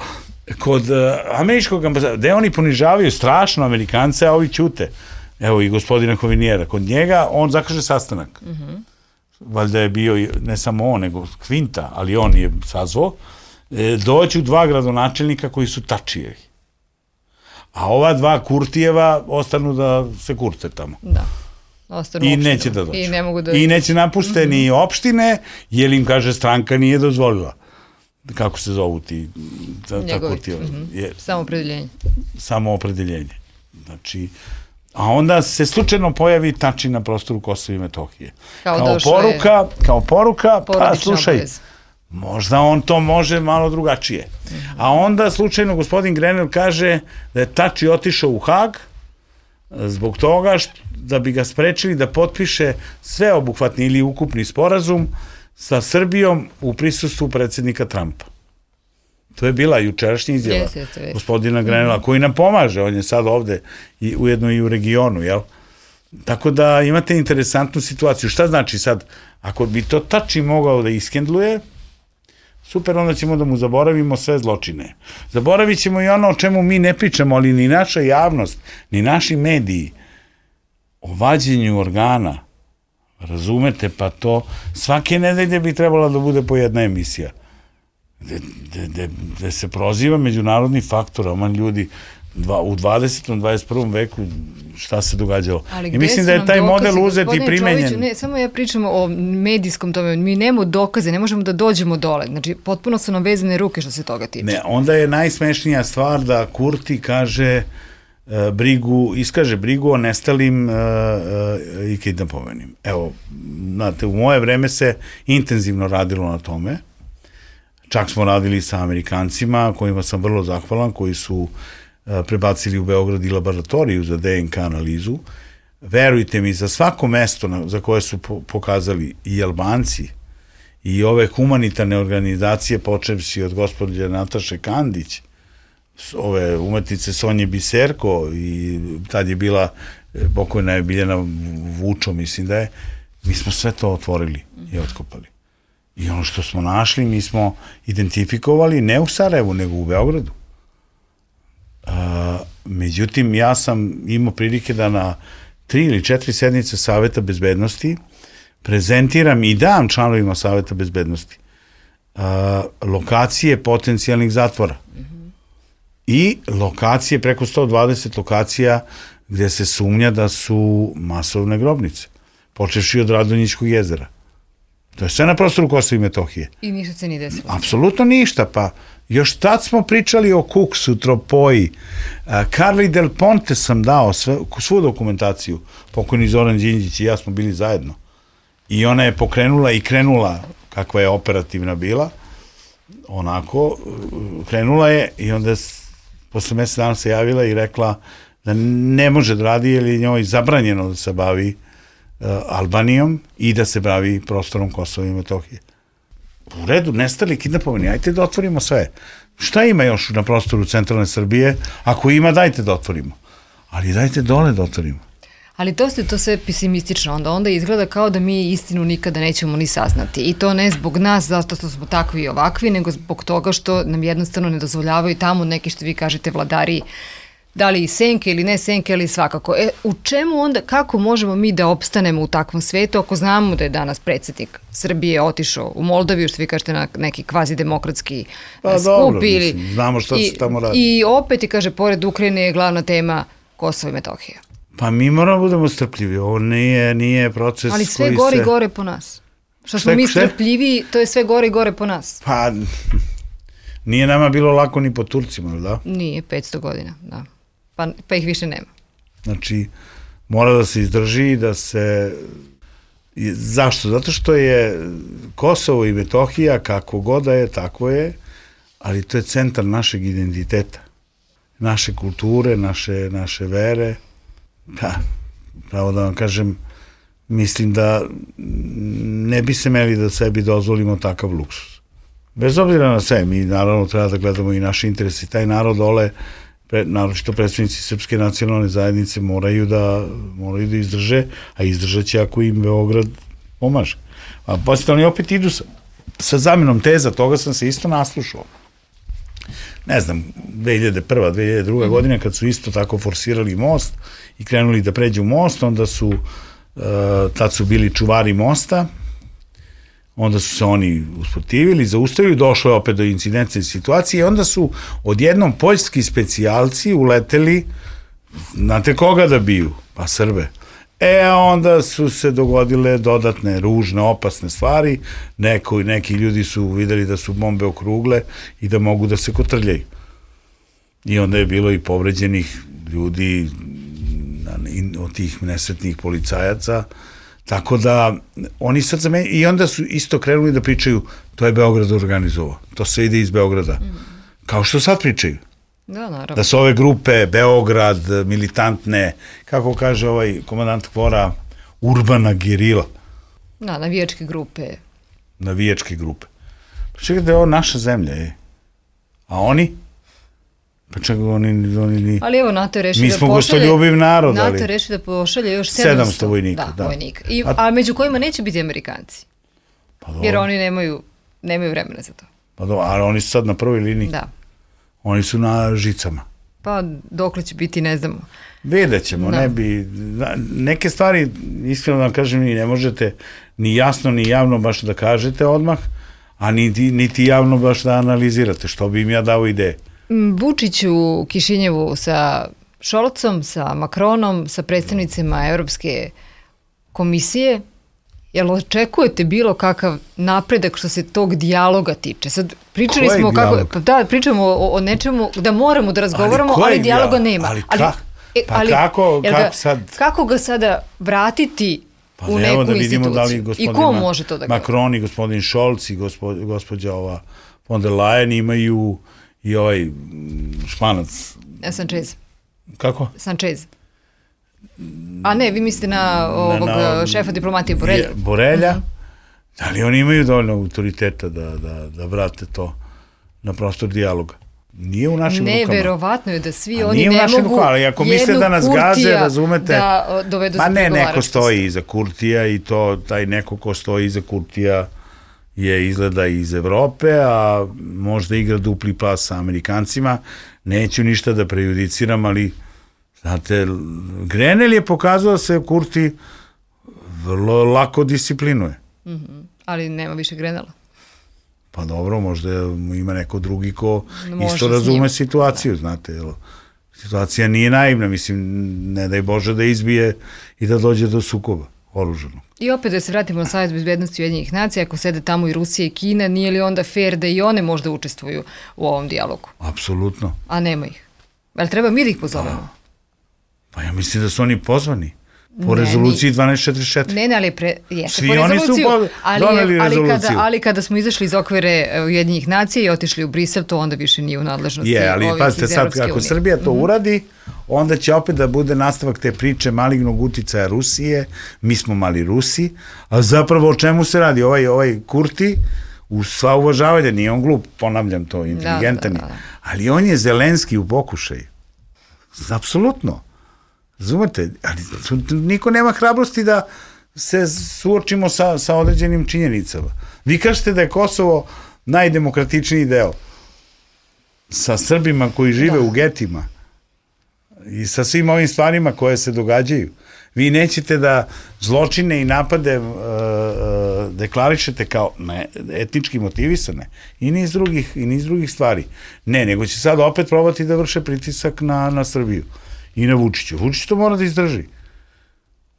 kod uh, američkog ambasada, gde oni ponižavaju strašno Amerikance, a ovi ćute. Evo i gospodina Hovinijera. Kod njega on zakaže sastanak. Mm-hmm. Valjda je bio ne samo on, nego Kvinta, ali on je sazvao. E, doću dva gradonačelnika koji su tačijevi. A ova dva Kurtijeva ostanu da se kurte tamo. Da. Ostanu I neće da dođu. I, ne mogu da... I neće napušte mm-hmm. ni opštine, jer im, kaže, stranka nije dozvolila. Kako se zovu ti? Ta, ta Kurtijeva. Mm-hmm. Je, samoopredeljenje. Samoopredeljenje. Znači, a onda se slučajno pojavi tači na prostoru Kosova i Metohije. Kao, kao poruka, je... kao poruka, pa slušaj, obavez. Možda on to može malo drugačije. Mm-hmm. A onda slučajno gospodin Grenell kaže da je tači otišao u Hag zbog toga što, da bi ga sprečili da potpiše sveobuhvatni ili ukupni sporazum sa Srbijom u prisustvu predsjednika Trumpa. To je bila jučerašnja izjava yes, yes, yes. gospodina Grenella, mm-hmm. koji nam pomaže, on je sad ovde i ujedno i u regionu, jel? Tako da imate interesantnu situaciju. Šta znači sad, ako bi to tači mogao da iskendluje, super, onda ćemo da mu zaboravimo sve zločine. Zaboravit ćemo i ono o čemu mi ne pričamo, ali ni naša javnost, ni naši mediji, o vađenju organa, razumete, pa to svake nedelje bi trebala da bude po jedna emisija. Gde se proziva međunarodni faktor, oman ljudi, dva, u dvadesetom, dvadeset prvom veku šta se događalo. I mislim da je taj dokazi, model uzet i primenjen. Čoviću, ne, samo ja pričam o medijskom tome, mi nemamo dokaze, ne možemo da dođemo dole, znači potpuno su nam vezane ruke što se toga tiče. Ne, onda je najsmešnija stvar da Kurti kaže uh, brigu, iskaže brigu o nestalim uh, uh, i kidnapovanim. Evo, znate, u moje vreme se intenzivno radilo na tome. Čak smo radili sa Amerikancima, kojima sam vrlo zahvalan, koji su prebacili u Beograd i laboratoriju za D N K analizu. Verujte mi, za svako mesto na, za koje su po, pokazali i Albanci i ove humanitarne organizacije, počevši od gospođe Nataše Kandić, ove umetnice Sonje Biserko i tad je bila pokojna je Biljana Vučo, mislim da je, mi smo sve to otvorili i otkopali. I ono što smo našli, mi smo identifikovali ne u Sarajevu, nego u Beogradu. Uh, međutim, ja sam imao prilike da na tri ili četiri sednice Saveta bezbednosti prezentiram i dam članovima Saveta bezbednosti uh, lokacije potencijalnih zatvora. Mm-hmm. I lokacije, preko sto dvadeset lokacija gde se sumnja da su masovne grobnice, počevši od Radonjičkog jezera. To je sve na prostoru Kosova i Metohije. I ništa se nije desilo. Apsolutno ništa, pa još tad smo pričali o Kuksu, Tropoji. Carli Del Ponte sam dao sve, svu dokumentaciju, pokojni Zoran Đinđić i ja smo bili zajedno. I ona je pokrenula i krenula, kakva je operativna bila, onako, krenula je i onda posle mesec dana se javila i rekla da ne može da radi jer je njoj zabranjeno da se bavi uh, Albanijom i da se bavi prostorom Kosova i Metohije. U redu, nestali, kidnapovani, ajte da otvorimo sve. Šta ima još na prostoru centralne Srbije? Ako ima, dajte da otvorimo. Ali dajte dole da otvorimo. Ali to se to sve pesimistično, onda onda izgleda kao da mi istinu nikada nećemo ni saznati. I to ne zbog nas, zato što smo takvi i ovakvi, nego zbog toga što nam jednostavno ne dozvoljavaju tamo neki, što vi kažete, vladari, da li senke ili ne senke, ali svakako. E, u čemu onda, kako možemo mi da opstanemo u takvom svetu, ako znamo da je danas predsjednik Srbije otišao u Moldaviju, što vi kažete, na neki kvazidemokratski pa, skup? Dobro, ili, mislim, znamo šta i, se tamo radi. I opet, i kaže, pored Ukrajine je glavna tema Kosovo i Metohija. Pa mi moramo budemo strpljivi, ovo nije, nije proces ali sve koji gore se... i gore po nas. Što smo mi strpljiviji, to je sve gore i gore po nas. Pa, nije nama bilo lako ni po Turcima, da? Nije, petsto godina, da. Pa, pa ih više nema. Znači, mora da se izdrži, da se... Zašto? Zato što je Kosovo i Metohija, kako god da je, tako je, ali to je centar našeg identiteta, naše kulture, naše, naše vere. Pa, pravo da vam kažem, mislim da ne bi se meli da sebi dozvolimo takav luksus. Bez obzira na sve, mi naravno treba da gledamo i naše interese. Taj narod dole, pre, naročito predstavnici Srpske nacionalne zajednice moraju da, moraju da izdrže, a izdržat će ako im Beograd pomaže. A posle oni opet idu sa, sa zamenom teza, toga sam se isto naslušao. Ne znam, dve hiljade prva, dve hiljade druga godina, kad su isto tako forsirali most i krenuli da pređu most, onda su, uh, tad su bili čuvari mosta, onda su se oni usprotivili, zaustavili, došlo je opet do incidentne situacije i onda su odjednom poljski specijalci uleteli, znate koga da biju? Pa Srbe. E, onda su se dogodile dodatne, ružne, opasne stvari, Neko, neki ljudi su videli da su bombe okrugle i da mogu da se kotrljaju. I onda je bilo i povređenih ljudi od tih nesretnih policajaca, tako da oni sad za mene, i onda su isto krenuli da pričaju, to je Beograd organizovao, to se ide iz Beograda, mm. kao što sad pričaju. Da, naravno. Da su ove grupe, Beograd, militantne, kako kaže ovaj komandant Kvora, urbana gerila. Da, navijačke grupe. Navijačke grupe. Pa čekaj da je ovo naša zemlja, je. A oni? Pa čekaj, oni... oni ni... Ali evo, NATO je rešio da pošalje... Mi smo gostoljubiv narod, NATO ali... NATO je rešio da pošalje još sedamsto vojnika. Da, da. vojnika. I, a... a među kojima neće biti Amerikanci. Pa jer oni nemaju, nemaju vremena za to. Pa do, ali oni su sad na prvoj liniji. Da. Oni su na žicama. Pa dokle će biti, ne znamo. Vidjet ćemo, da. ne bi... Neke stvari, iskreno da kažem, ni ne možete ni jasno, ni javno baš da kažete odmah, a niti, niti javno baš da analizirate, što bi im ja dao ideje. Vučić u Kišinjevu sa Šolcom, sa Makronom, sa predstavnicima Evropske komisije, jel očekujete bilo kakav napredak što se tog dijaloga tiče? Sad pričali smo kako, pa da, pričamo o, o nečemu da moramo da razgovaramo, ali, ali dijaloga nema. Ali, ali, pa ali, kako, ga, kako sad? Kako ga sada vratiti pa u neku da instituciju? Da li gospodin I ko može to da Macron i gospodin Scholz i gospo, gospođa ova von der Leyen, imaju i ovaj Španac. Sanchez. Kako? Sanchez. A ne, vi mislite na ovog na, na, šefa diplomatije Borelja. Borelja. Uh-huh. Da li oni imaju dovoljno autoriteta da, da, da vrate to na prostor dijaloga? Nije u našim ne, rukama. Neverovatno je da svi oni ne mogu rukama, ali ako misle da nas gaze, razumete, da dovedu ma ne, neko stoji iza Kurtija i to, taj neko ko stoji iza Kurtija je izgleda iz Evrope, a možda igra dupli pas sa Amerikancima. Neću ništa da prejudiciram, ali znate, Grenell je pokazao da se Kurti vrlo lako disciplinuje. Mm-hmm. Ali nema više Grenella. Pa dobro, možda ima neko drugi ko možda isto razume situaciju, da. Znate, jel? Situacija nije naivna, mislim, ne daj Bože da izbije i da dođe do sukoba oružanog. I opet da se vratimo na Savjet bezbednosti Ujedinjenih nacija, ako sede tamo i Rusija i Kina, nije li onda fair da i one možda učestvuju u ovom dijalogu? Apsolutno. A nema ih. Ali treba mi da ih pozovemo? Pa ja mislim da su oni pozvani. Po ne, rezoluciji dvanaest četrdeset četiri. Ne, ne, ali pre, jeste Svi po rezoluciju, oni su ali, doneli ali rezoluciju. Kada, ali kada smo izašli iz okvire Ujedinjenih nacija i otišli u Brisel, to onda više nije u nadležnosti je, ali ovih pazite, iz sad Evropske kako unije. Srbija to mm-hmm. uradi, onda će opet da bude nastavak te priče malignog uticaja Rusije, mi smo mali Rusi, a zapravo o čemu se radi? Ovaj, ovaj Kurti, u sva uvažavanja, nije on glup, ponavljam to, inteligentan, da, da, da, da. Ali on je Zelenski u pokušaju. Apsolutno. Razumete, ali niko nema hrabrosti da se suočimo sa, sa određenim činjenicama. Vi kažete da je Kosovo najdemokratičniji deo. Sa Srbima koji žive da. u getima i sa svim ovim stvarima koje se događaju. Vi nećete da zločine i napade uh, uh, deklarišete kao ne, etnički motivisane i niz drugih, i niz drugih stvari. Ne, nego će sad opet probati da vrše pritisak na, na Srbiju. I na Vučiću. Vučić to mora da izdrži.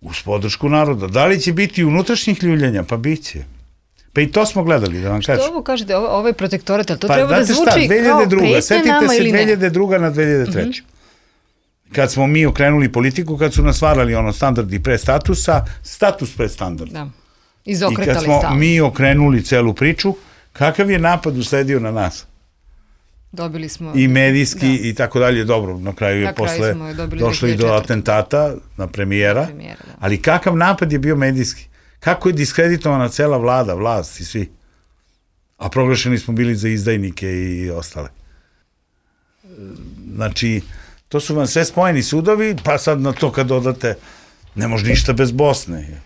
Uz podršku naroda. Da li će biti unutrašnjih ljuljanja? Pa bit će. Pa i to smo gledali, da vam kažem. Što ovo kažete, ovo, ovo je protektorat, ali to pa, treba da zvuči šta, kao pretnje nama ili ne? Setite se dve hiljade druge na dve hiljade treće. Mm-hmm. Kad smo mi okrenuli politiku, kad su nas varali ono standardi pre statusa, status pre standarda. Da. Izokretali I kad smo stavno. mi okrenuli celu priču, kakav je napad usledio na nas? Dobili smo i medijski da. i tako dalje, dobro, na kraju je na posle došlo i do atentata na premijera, na premijera da. Ali kakav napad je bio medijski? Kako je diskreditovana cela vlada, vlast i svi? A proglašeni smo bili za izdajnike i ostale. Znači, to su vam sve spojeni sudovi, pa sad na to kad dodate, ne može ništa bez Bosne.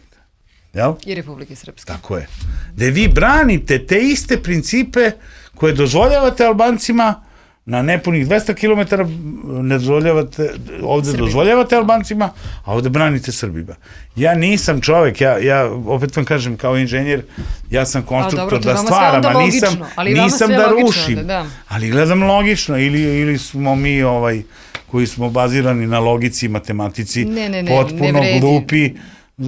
Jel? I Republike Srpske. Tako je. Da vi branite te iste principe koje dozvoljavate Albancima na nepunih dvesta kilometara, ne dozvoljavate, ovde Srbima. Dozvoljavate Albancima, a ovde branite Srbima. Ja nisam čovek, ja, ja opet vam kažem kao inženjer, ja sam konstruktor dobro, da stvaram, a nisam, nisam da rušim, da, da. Ali gledam logično, ili, ili smo mi ovaj, koji smo bazirani na logici i matematici, ne, ne, ne, potpuno ne glupi,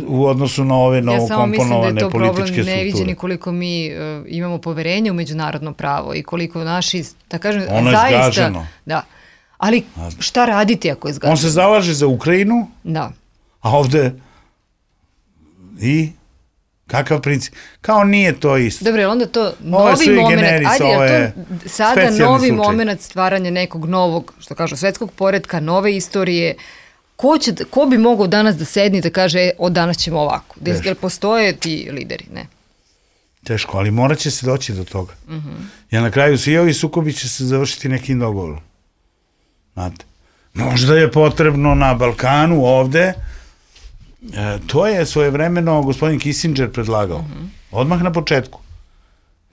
u odnosu na ove novokomponovane političke strukture. Ja samo mislim da je to problem neviđeni koliko mi uh, imamo poverenja u međunarodno pravo i koliko naši, da kažem, ono zaista... Ono je zgaženo. Da. Ali šta raditi ako je zgaženo? On se zalaže za Ukrajinu, da. A ovde i kakav princip? Kao nije to isto. Dobro, onda to novi moment, ajde, je to sada novi slučaj. Moment stvaranja nekog novog, što kažu, svetskog poretka, nove istorije. Ko, će, ko bi mogao danas da sedni da kaže od danas ćemo ovako? Jel postoje ti lideri? Ne. Teško, ali morat će se doći do toga. Uh-huh. Jer na kraju svi ovi sukobi će se završiti nekim dogovorom. Znate, možda je potrebno na Balkanu ovde, e, to je svojevremeno gospodin Kissinger predlagao. Uh-huh. Odmah na početku.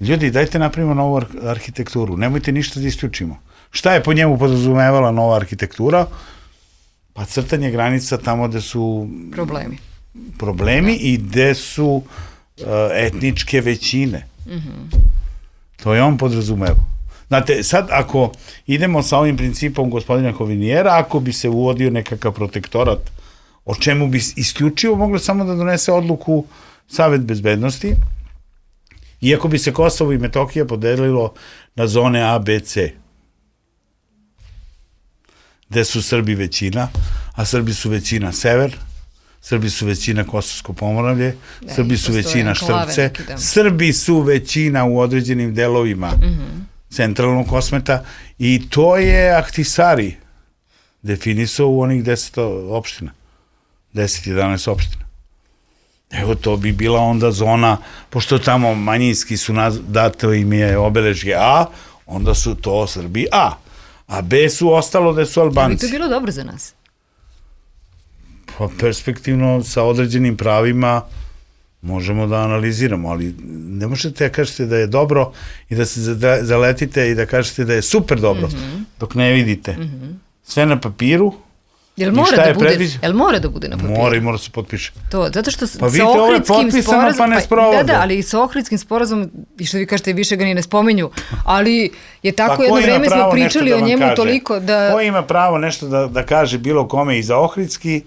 Ljudi, dajte napravimo novu ar- arhitekturu, nemojte ništa da isključimo. Šta je po njemu podrazumevala nova arhitektura? Pa crtanje granica tamo gde su problemi, problemi da. I gde su uh, etničke većine. Mm-hmm. To je on podrazumeo. Znate, sad ako idemo sa ovim principom gospodina Hovinijera, ako bi se uvodio nekakav protektorat, o čemu bi isključivo moglo samo da donese odluku Savet bezbednosti, iako bi se Kosovo i Metohija podelilo na zone A, B, C, gde su Srbi većina, a Srbi su većina sever, Srbi su većina Kosovsko Pomoravlje, Srbi su većina Štrpce, Srbi su većina u određenim delovima mm-hmm. centralnog kosmeta i to je Ahtisari definisao u onih deset opština. deset jedanaest opština. Evo, to bi bila onda zona, pošto tamo manjinski su dato im je obeležje A, onda su to Srbi A. A B su ostalo da su Albanci. Da bi to bilo dobro za nas? Pa perspektivno, sa određenim pravima možemo da analiziramo, ali ne možete da kažete da je dobro i da se zaletite i da kažete da je super dobro, dok ne vidite. Sve na papiru. Jel mora da bude, jel mora da bude na papiru? Mora i mora se potpiše. To, zato što pa vidite, ovo je potpisano pa ne sprovode. Da, da, ali i sa Ohridskim sporazumom, i što vi kažete, više ga ni ne spominju, ali je tako pa jedno vreme smo pričali o njemu toliko da... Ko ima pravo nešto da, da kaže bilo kome i za Ohridski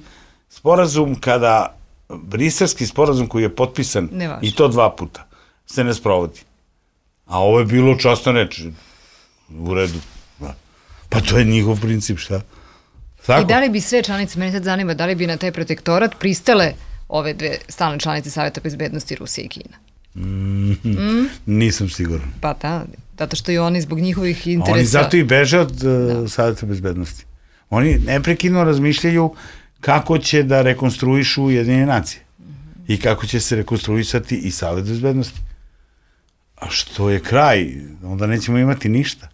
sporazum kada Briselski sporazum koji je potpisan i to dva puta se ne sprovodi. A ovo je bilo časno reči. U redu. Pa to je njihov princip, šta? Tako? I da li bi sve članice, mene sad zanima, da li bi na taj protektorat pristale ove dve stalne članice Saveta bezbednosti Rusije i Kina? Mm, mm? Nisam siguran. Pa da, zato što i oni zbog njihovih interesa... Oni zato i beže od uh, Saveta bezbednosti. Oni neprekidno razmišljaju kako će da rekonstruišu Ujedinjene nacije. Mm-hmm. I kako će se rekonstruisati i Savet bezbednosti. A što je kraj, onda nećemo imati ništa.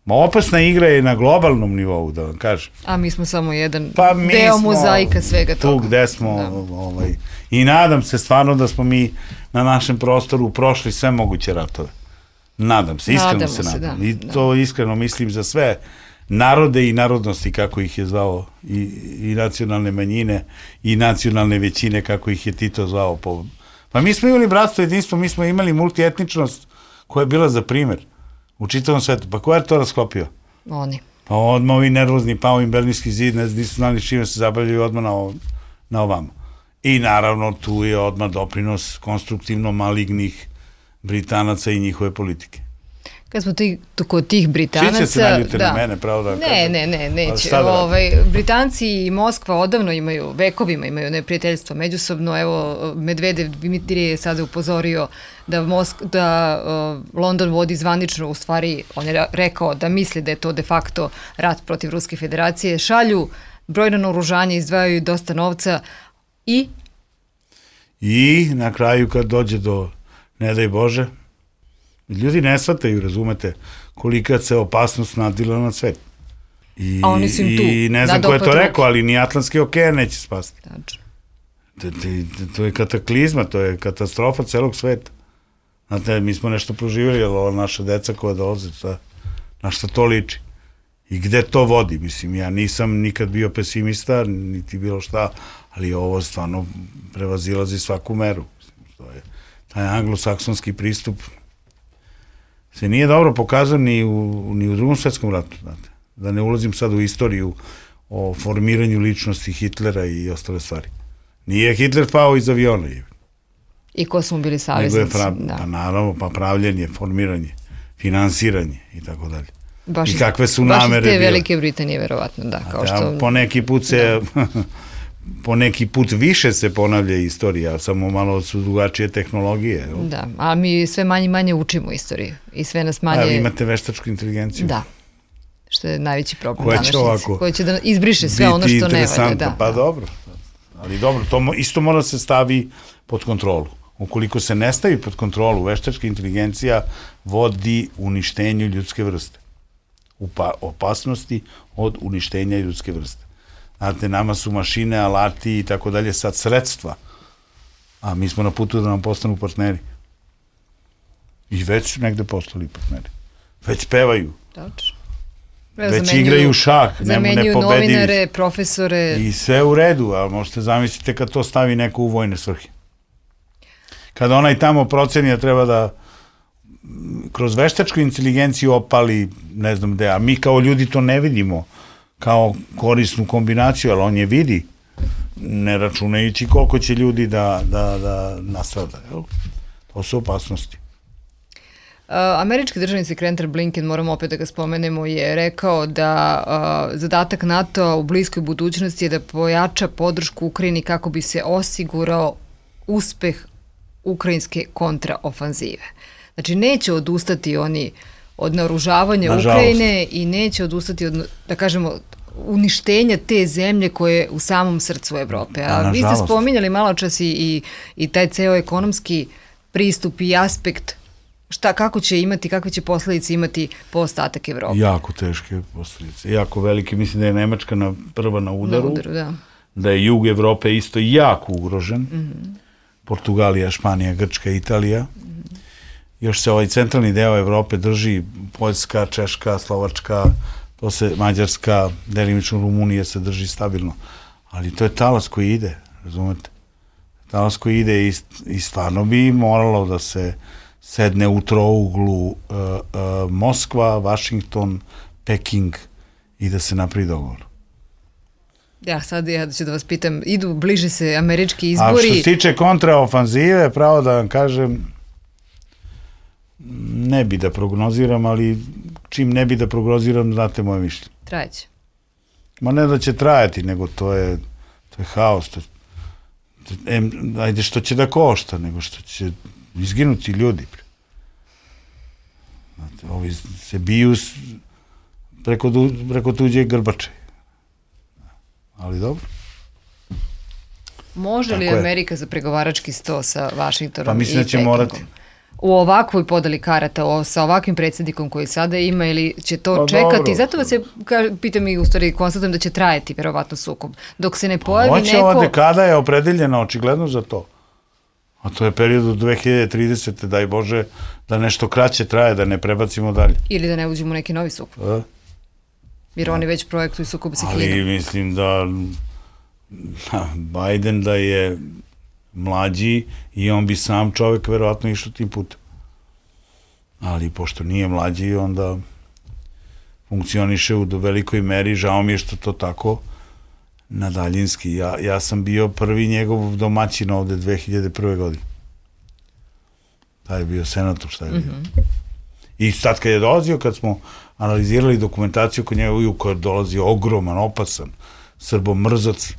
Ma opasna igra je na globalnom nivou, da vam kažem. A mi smo samo jedan pa deo mozaika svega toga. Tu gde smo, ovaj, i nadam se stvarno da smo mi na našem prostoru prošli sve moguće ratove. Nadam se, iskreno Nadamo se, se nadam. Da, I to da. Iskreno mislim za sve narode i narodnosti, kako ih je zvao, i, i nacionalne manjine, i nacionalne većine, kako ih je Tito zvao. Po... Pa mi smo imali bratstvo, jedinstvo, mi smo imali multietničnost koja je bila za primer. U čitavom svetu. Pa ko je to rasklopio? Oni. Pa odmah ovi nervozni, pa ovim Berlinski zid, ne nisu znali s čime se zabavljaju odmah na, ov, na ovamo. I naravno tu je odmah doprinos konstruktivno malignih Britanaca i njihove politike. Kad smo ti, kod tih Britanaca... Svi će se naljute da. na mene, pravo da ne, kažem. Ne, ne, neće. Da ovaj, Britanci i Moskva odavno imaju, vekovima imaju neprijateljstvo međusobno. Evo, Medvedev Dimitrije je sada upozorio da, Mosk, da uh, London vodi zvanično, u stvari, on je rekao da misli da je to de facto rat protiv Ruske federacije. Šalju brojno naoružanje, izdvajaju dosta novca i... I na kraju kad dođe do, ne daj Bože, ljudi ne shvataju, razumete, kolika se opasnost nadvila na svet. I, a oni su im tu. I ne znam ko je to rekao, ali ni Atlantski okean neće spasti. Tačno. To, to je kataklizma, to je katastrofa celog sveta. Znate, mi smo nešto proživjeli, ali ova naša deca koja dolaze, šta, na šta to liči. I gde to vodi, mislim, ja nisam nikad bio pesimista, niti bilo šta, ali ovo stvarno prevazilazi svaku meru. Mislim, to je taj anglosaksonski pristup se nije dobro pokazao ni u, ni u drugom svetskom ratu, znate. Da ne ulazim sad u istoriju o formiranju ličnosti Hitlera i ostale stvari. Nije Hitler pao iz aviona. I ko su mu bili saveznici? Prav, da. Pa naravno, pa pravljenje, formiranje, finansiranje i tako dalje. Baš I kakve su namere bile. Baš iz te Velike Britanije, verovatno, da. Kao što... Po neki put se... Da. Po neki put više se ponavlja istorija, samo malo su drugačije tehnologije. Da, a mi sve manje i manje učimo istoriju i sve nas manje... A vi imate veštačku inteligenciju. Da, što je najveći problem današnjice. Koja će da izbriše sve ono što ne valja. Da. Pa dobro, ali dobro, to isto mora se stavi pod kontrolu. Ukoliko se ne stavi pod kontrolu, veštačka inteligencija vodi uništenju ljudske vrste. Upa, opasnosti od uništenja ljudske vrste. Znate, nama su mašine, alati i tako dalje sad sredstva, a mi smo na putu da nam postanu partneri. I već su negde postali partneri. Već pevaju. Tačno. Već igraju šah, zamenjuju novinare, profesore. I sve u redu, a možete zamisliti kad to stavi neko u vojne svrhe. Kada onaj tamo proceni da treba da kroz veštačku inteligenciju opali, ne znam gde, a mi kao ljudi to ne vidimo kao korisnu kombinaciju, ali on je vidi, ne računajući koliko će ljudi da, da, da nastrada. To su opasnosti. Uh, američki državni sekretar Blinken, moramo opet da ga spomenemo, je rekao da uh, zadatak NATO-a u bliskoj budućnosti je da pojača podršku Ukrajini kako bi se osigurao uspeh ukrajinske kontraofanzive. Znači, neće odustati oni od naoružavanja Ukrajine i neće odustati od, da kažemo, uništenja te zemlje koje je u samom srcu Evrope. A da, vi ste spominjali malo čas i, i, i taj ceo ekonomski pristup i aspekt šta, kako će imati, kakve će posledice imati po ostatak Evrope. Jako teške posledice, jako velike. Mislim da je Nemačka na, prva na udaru, na udaru da. da je jug Evrope isto jako ugrožen. Mm-hmm. Portugalija, Španija, Grčka, Italija. Mm-hmm. Još se ovaj centralni deo Evrope drži, Poljska, Češka, Slovačka, to se Mađarska, delimično Rumunija se drži stabilno. Ali to je talas koji ide, razumete? Talas koji ide i, i stvarno bi moralo da se sedne u trouglu uh, uh, Moskva, Vašington, Peking i da se napravi dogovor. Ja, sad ja ću da vas pitam, idu, bliže se američki izbori. A što se tiče kontraofanzive, pravo da vam kažem, ne bi da prognoziram, ali čim ne bi da prognoziram, znate moje mišljenje. Trajeće. Ma ne da će trajati, nego to je, to je haos. To, to, em, ajde što će da košta, nego što će izginuti ljudi. Znate, ovi se biju preko, preko tuđe grbače. Ali dobro. Može li Amerika za pregovarački sto sa Vašingtonom pa mislim i da će Pekingom? morati. U ovakvoj podeli karata, o, sa ovakvim predsjednikom koji sada ima, ili će to pa čekati? dobro. Zato vas je, ka, pitam i u stvari, konstatujem da će trajati verovatno sukob. Dok se ne pojavi Hoće neko... ova dekada je opredeljena očigledno za to. A to je period do dve hiljade tridesete. Daj Bože da nešto kraće traje, da ne prebacimo dalje. Ili da ne uđemo u neki novi sukob. A? Jer oni već projektuju sukob sa Kinom. Ali mislim da Biden da je mlađi i on bi sam čovjek verovatno išao tim putem. Ali pošto nije mlađi, onda funkcioniše u velikoj meri, žao mi je što to tako na daljinski. Ja, ja sam bio prvi njegov domaćin ovde dve hiljade prve. godine. Taj je bio senator, šta je bio. Mm-hmm. I sad kad je dolazio, kad smo analizirali dokumentaciju kod njega, kad je dolazio ogroman, opasan, srbomrzac,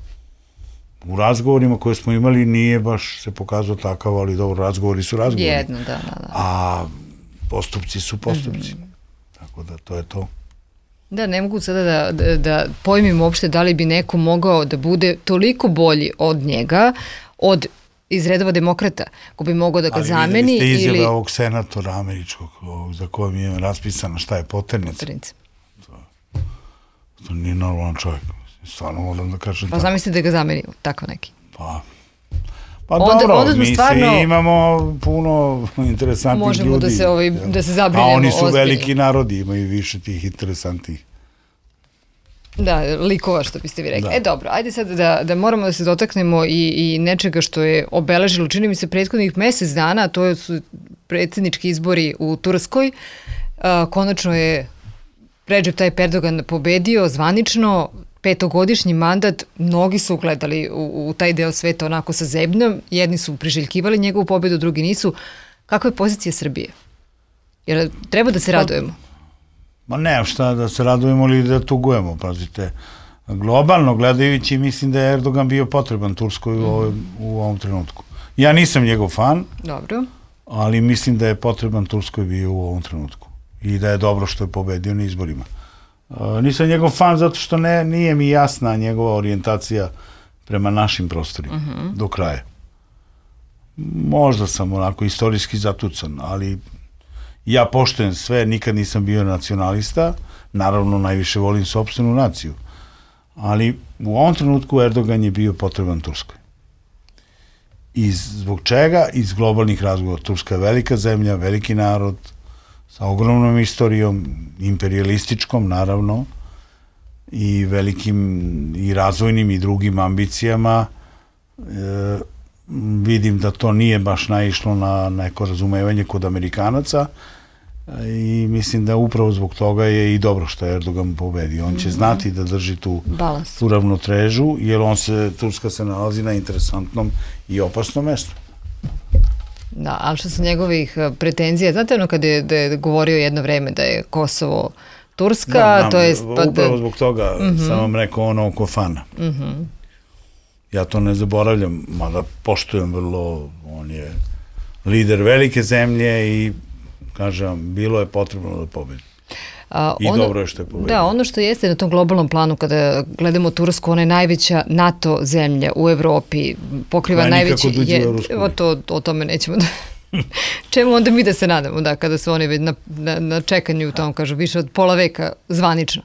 u razgovorima koje smo imali nije baš se pokazao takav, ali dobro, razgovori su razgovori. Jedno, da, da, da. A postupci su postupci. Mm-hmm. Tako da to je to. Da, ne mogu sada da, da, da pojmim uopšte da li bi neko mogao da bude toliko bolji od njega, od iz redova demokrata, ko bi mogao da ga ali zameni. Ali vidjeli ste izjave ili... ovog senatora američkog, ovog, za kojom je raspisano šta je poternica. To, to nije normalan čovjek. Stvarno moram da kažem. Pa zamislite da ga zameni tako neki. Pa, pa onda, dobro, onda mi stvarno, se imamo puno interesantnih možemo ljudi. Možemo da se, ovaj, da se zabrinemo. A oni su ozbiljno. Veliki narodi, imaju više tih interesantnih. Da, likova što biste vi rekli. Da. E dobro, ajde sad da, da moramo da se dotaknemo i, i nečega što je obeležilo, čini mi se, prethodnih mesec dana, a to su predsjednički izbori u Turskoj. A, konačno je Recep Tayyip Erdogan pobedio zvanično, petogodišnji mandat, mnogi su gledali u, u taj deo sveta onako sa zebnjom, jedni su priželjkivali njegovu pobedu, drugi nisu. Kakva je pozicija Srbije? Jer treba da se radujemo? Ma ne, šta da se radujemo ili da tugujemo, pazite. Globalno gledajući, mislim da je Erdogan bio potreban Turskoj u, ovoj, u ovom trenutku. Ja nisam njegov fan, dobro, ali mislim da je potreban Turskoj bio u ovom trenutku. I da je dobro što je pobedio na izborima. Uh, nisam njegov fan zato što ne, nije mi jasna njegova orijentacija prema našim prostorima uh-huh. do kraja. Možda sam onako istorijski zatucan, ali ja poštujem sve, nikad nisam bio nacionalista, naravno najviše volim sopstvenu naciju, ali u ovom trenutku Erdogan je bio potreban Turskoj. I zbog čega? Iz globalnih razgovora. Turska je velika zemlja, veliki narod, sa ogromnom istorijom, imperijalističkom, naravno, i velikim i razvojnim i drugim ambicijama. E, vidim da to nije baš naišlo na neko razumevanje kod Amerikanaca i mislim da upravo zbog toga je i dobro što je Erdogan pobedio. On će znati da drži tu, tu ravnotežu, jer on se, Turska se nalazi na interesantnom i opasnom mestu. Da, ali što su njegovih pretenzija, znate ono kada je, da je govorio jedno vreme da je Kosovo Turska, da, nam, to je... upravo zbog toga uh-huh. sam vam rekao ono oko fana. Uh-huh. Ja to ne zaboravljam, mada poštujem vrlo, on je lider velike zemlje i kažem, bilo je potrebno da pobedi. A, I ono, dobro je što je pobedio. Da, ono što jeste na tom globalnom planu, kada gledamo Tursku, ona je najveća NATO zemlja u Evropi, pokriva Pa najveći... nikako Je, u to, o tome nećemo da... Čemu onda mi da se nadamo, da, kada su oni već na, na, na čekanju u tom, kažu, više od pola veka zvanično.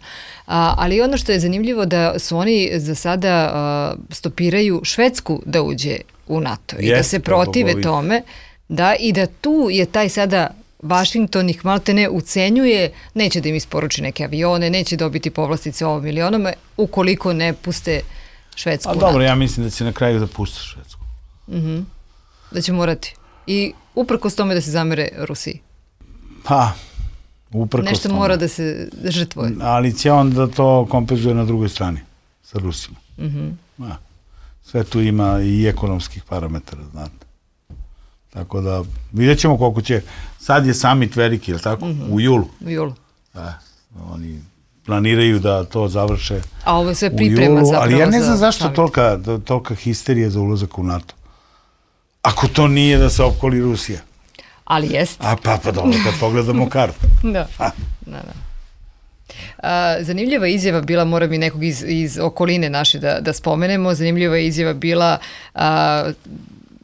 A, ali ono što je zanimljivo da su oni za sada a, stopiraju Švedsku da uđe u NATO i Jeste, da se protive bogovi. tome, da, i da tu je taj sada Vašington ih malte ne ucenjuje, neće da im isporuči neke avione, neće dobiti povlastice ovom milionama, ukoliko ne puste Švedsku A u dobro, NATO. ja mislim da će na kraju da puste Švedsku. Mm-hmm. Da će morati. I uprkos tome da se zamere Rusiji. Pa, uprkos Nešto tome. mora da se žrtvuje. Ali će on da to kompenzuje na drugoj strani, sa Rusima. Mm-hmm. Ja. Sve tu ima i ekonomskih parametara, znate. Tako da, vidjet ćemo koliko će, sad je summit veliki, je li tako? Mm-hmm. U julu. U julu. Da, oni planiraju da to završe A ovo je sve u priprema julu, zapravo. ali ja ne znam za zašto summit. tolika, tolika histerija za ulazak u NATO. Ako to nije da se opkoli Rusija. Ali jest. A pa, pa dobro, kad pogledamo kartu. Da, da, da. A, zanimljiva izjava bila, moram i nekog iz, iz okoline naše da, da spomenemo, zanimljiva izjava bila a,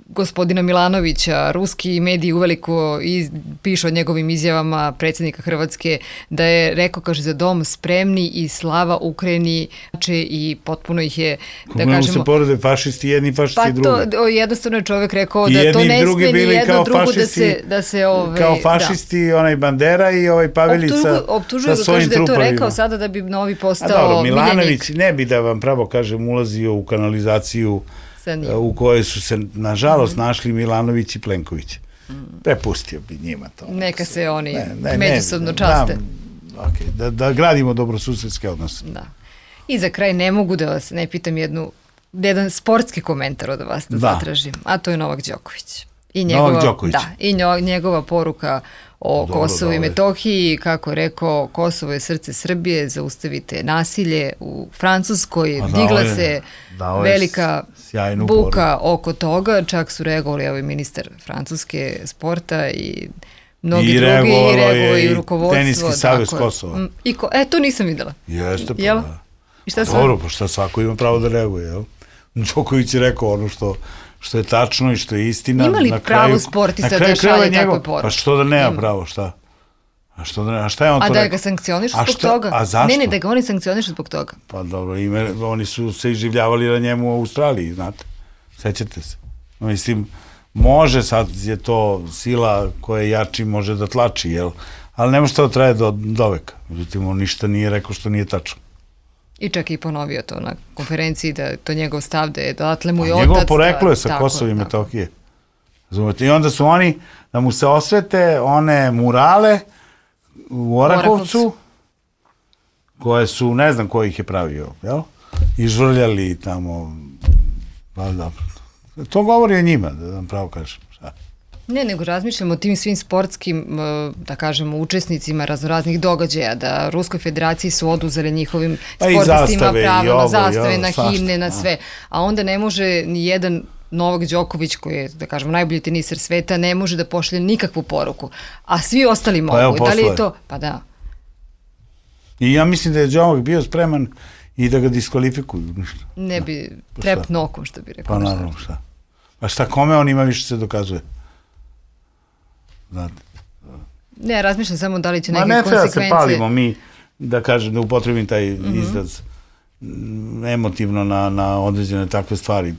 gospodina Milanovića. Ruski mediji uveliko iz, pišu o njegovim izjavama predsjednika Hrvatske da je rekao, kaže, za dom spremni i slava Ukrajini, i potpuno ih je, da Kako kažemo... se porede fašisti jedni, fašisti Pa drugi. to, jednostavno je čovjek rekao I da to jedni i ne drugi sme ni bili jedno kao drugo da fašisti, se... Da se ove, kao fašisti, onaj Bandera i ovaj Pavelica optužuje sa ga, svojim kaže da je to trupovima. rekao sada da bi novi A postao dobro, miljenik. Milanović ne bi, da vam pravo kažem, ulazio u kanalizaciju Sa njim. u kojoj su se, nažalost, našli Milanović i Plenković. Prepustio bi njima to. Neka se oni Ne, ne, ne, međusobno da, časte. okay, da, da gradimo dobrosusedske odnose. Da. I za kraj ne mogu da vas ne pitam jednu, jedan sportski komentar od vas da, Da. zatražim, a to je Novak Đoković. I Novak njegova, Đoković. Da, i njo, njegova poruka o Dobro, Kosovu i dobro. Metohiji, kako je rekao, Kosovo je srce Srbije, zaustavite nasilje u Francuskoj, A digla dao je- se dao je velika sjajnu buka oko toga, čak su reagovali ovaj ministar Francuske sporta i mnogi I drugi, reagovalo i reagovali je i i rukovodstvo. Teniski savez tako je. Kosova. Mm, I ko, e, to nisam videla. Jeste, pa Jel? da. I šta su... Dobro, pa šta svako ima pravo da reaguje, jel? Đoković je rekao ono što, što je tačno i što je istina. Ima li na pravo kraju- sportista na kraju da šalje krajeva takve njegov- poruke? Pa što da nema Ima. pravo, šta? A, što da ne, a šta je on A to da rekao? ga sankcionišu A zbog šta- toga? a zašto? Ne, ne, da ga oni sankcionišu zbog toga. Pa dobro, ime, oni su se iživljavali na njemu u Australiji, znate. Sećate se. No, mislim, može sad je to sila koja je jači, može da tlači, jel? Ali nema što da traje do, do veka. Međutim, on ništa nije rekao što nije tačno. I čak i ponovio to na konferenciji, da je to njegov stav, da je odatle mu je otac. Njegovo poreklo je sa tako, Kosova i tako. Metohije. Razumete? I onda su oni, da mu se osvete one murale u Orahovcu, Orahovcu. koje su, ne znam ko ih je pravio, jel? I žvrljali tamo, pa da, to govori o njima, da vam pravo kažem. Šta? Ne, nego razmišljamo o tim svim sportskim, e, da kažemo, učesnicima raznoraznih događaja, da Ruskoj federaciji su oduzeli njihovim Pa i sportistima zastave, i pravo ovo, na i zastave, ovo, na svašta, himne, na a. sve. A onda ne može ni jedan Novak Đoković, koji je, da kažemo, najbolji teniser sveta, ne može da pošalje nikakvu poruku. A svi ostali mogu. evo, Da li je poslao je. to? Pa da. I ja mislim da je Đomak bio spreman i da ga diskvalifikuju. Ništa. Ne bi Pa trep šta? nokom, što bi rekao. Pa naravno, šta. Pa šta, kome on ima više se dokazuje? Znate. Ne, razmišljam samo da li će Ma neke ne treba se konsekvencije... palimo mi, da kažem, da upotrebim taj izraz mm, emotivno na, na određene takve stvari.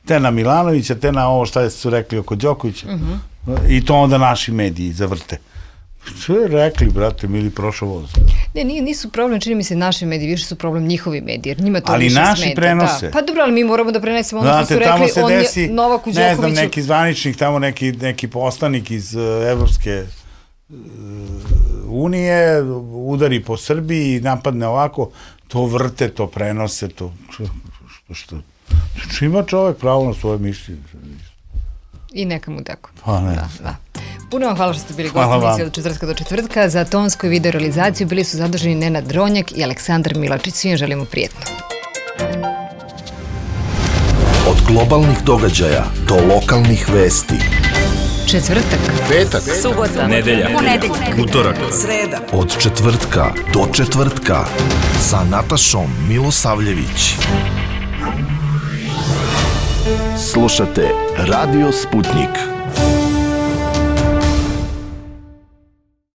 Te na Milanovića, te na ovo šta su rekli oko Đokovića. I to onda naši mediji zavrte. Sve rekli, brate, mili, prošao voz. Ne, nije, nisu problem, čini mi se, naši mediji, više su problem njihovi mediji, jer njima to Ali više naši smeta. prenose. Da. Pa dobro, ali mi moramo da prenesemo ono što su Znate, tamo rekli, se on desi, je Novaku ne znam, Đokoviću. neki zvaničnik, tamo neki, neki poslanik iz uh, Evropske uh, unije udari po Srbiji i napadne ovako, to vrte, to prenose, to što, što, što, što ima čovek pravo na svoje mišljenje. I neka mu tako. Pa ne. Da, da. Puno vam hvala što ste bili Hvala gosti vam. emisije od četvrtka do četvrtka. Za tonsku i video realizaciju bili su zaduženi Nenad Dronjak i Aleksandar Milačić. Svim želimo prijetno. Od globalnih događaja do lokalnih vesti. Četvrtak, petak, subota, nedelja, ponedeljak, utorak, sreda. od četvrtka do četvrtka sa Natašom Milosavljević. Slušate Radio Sputnik.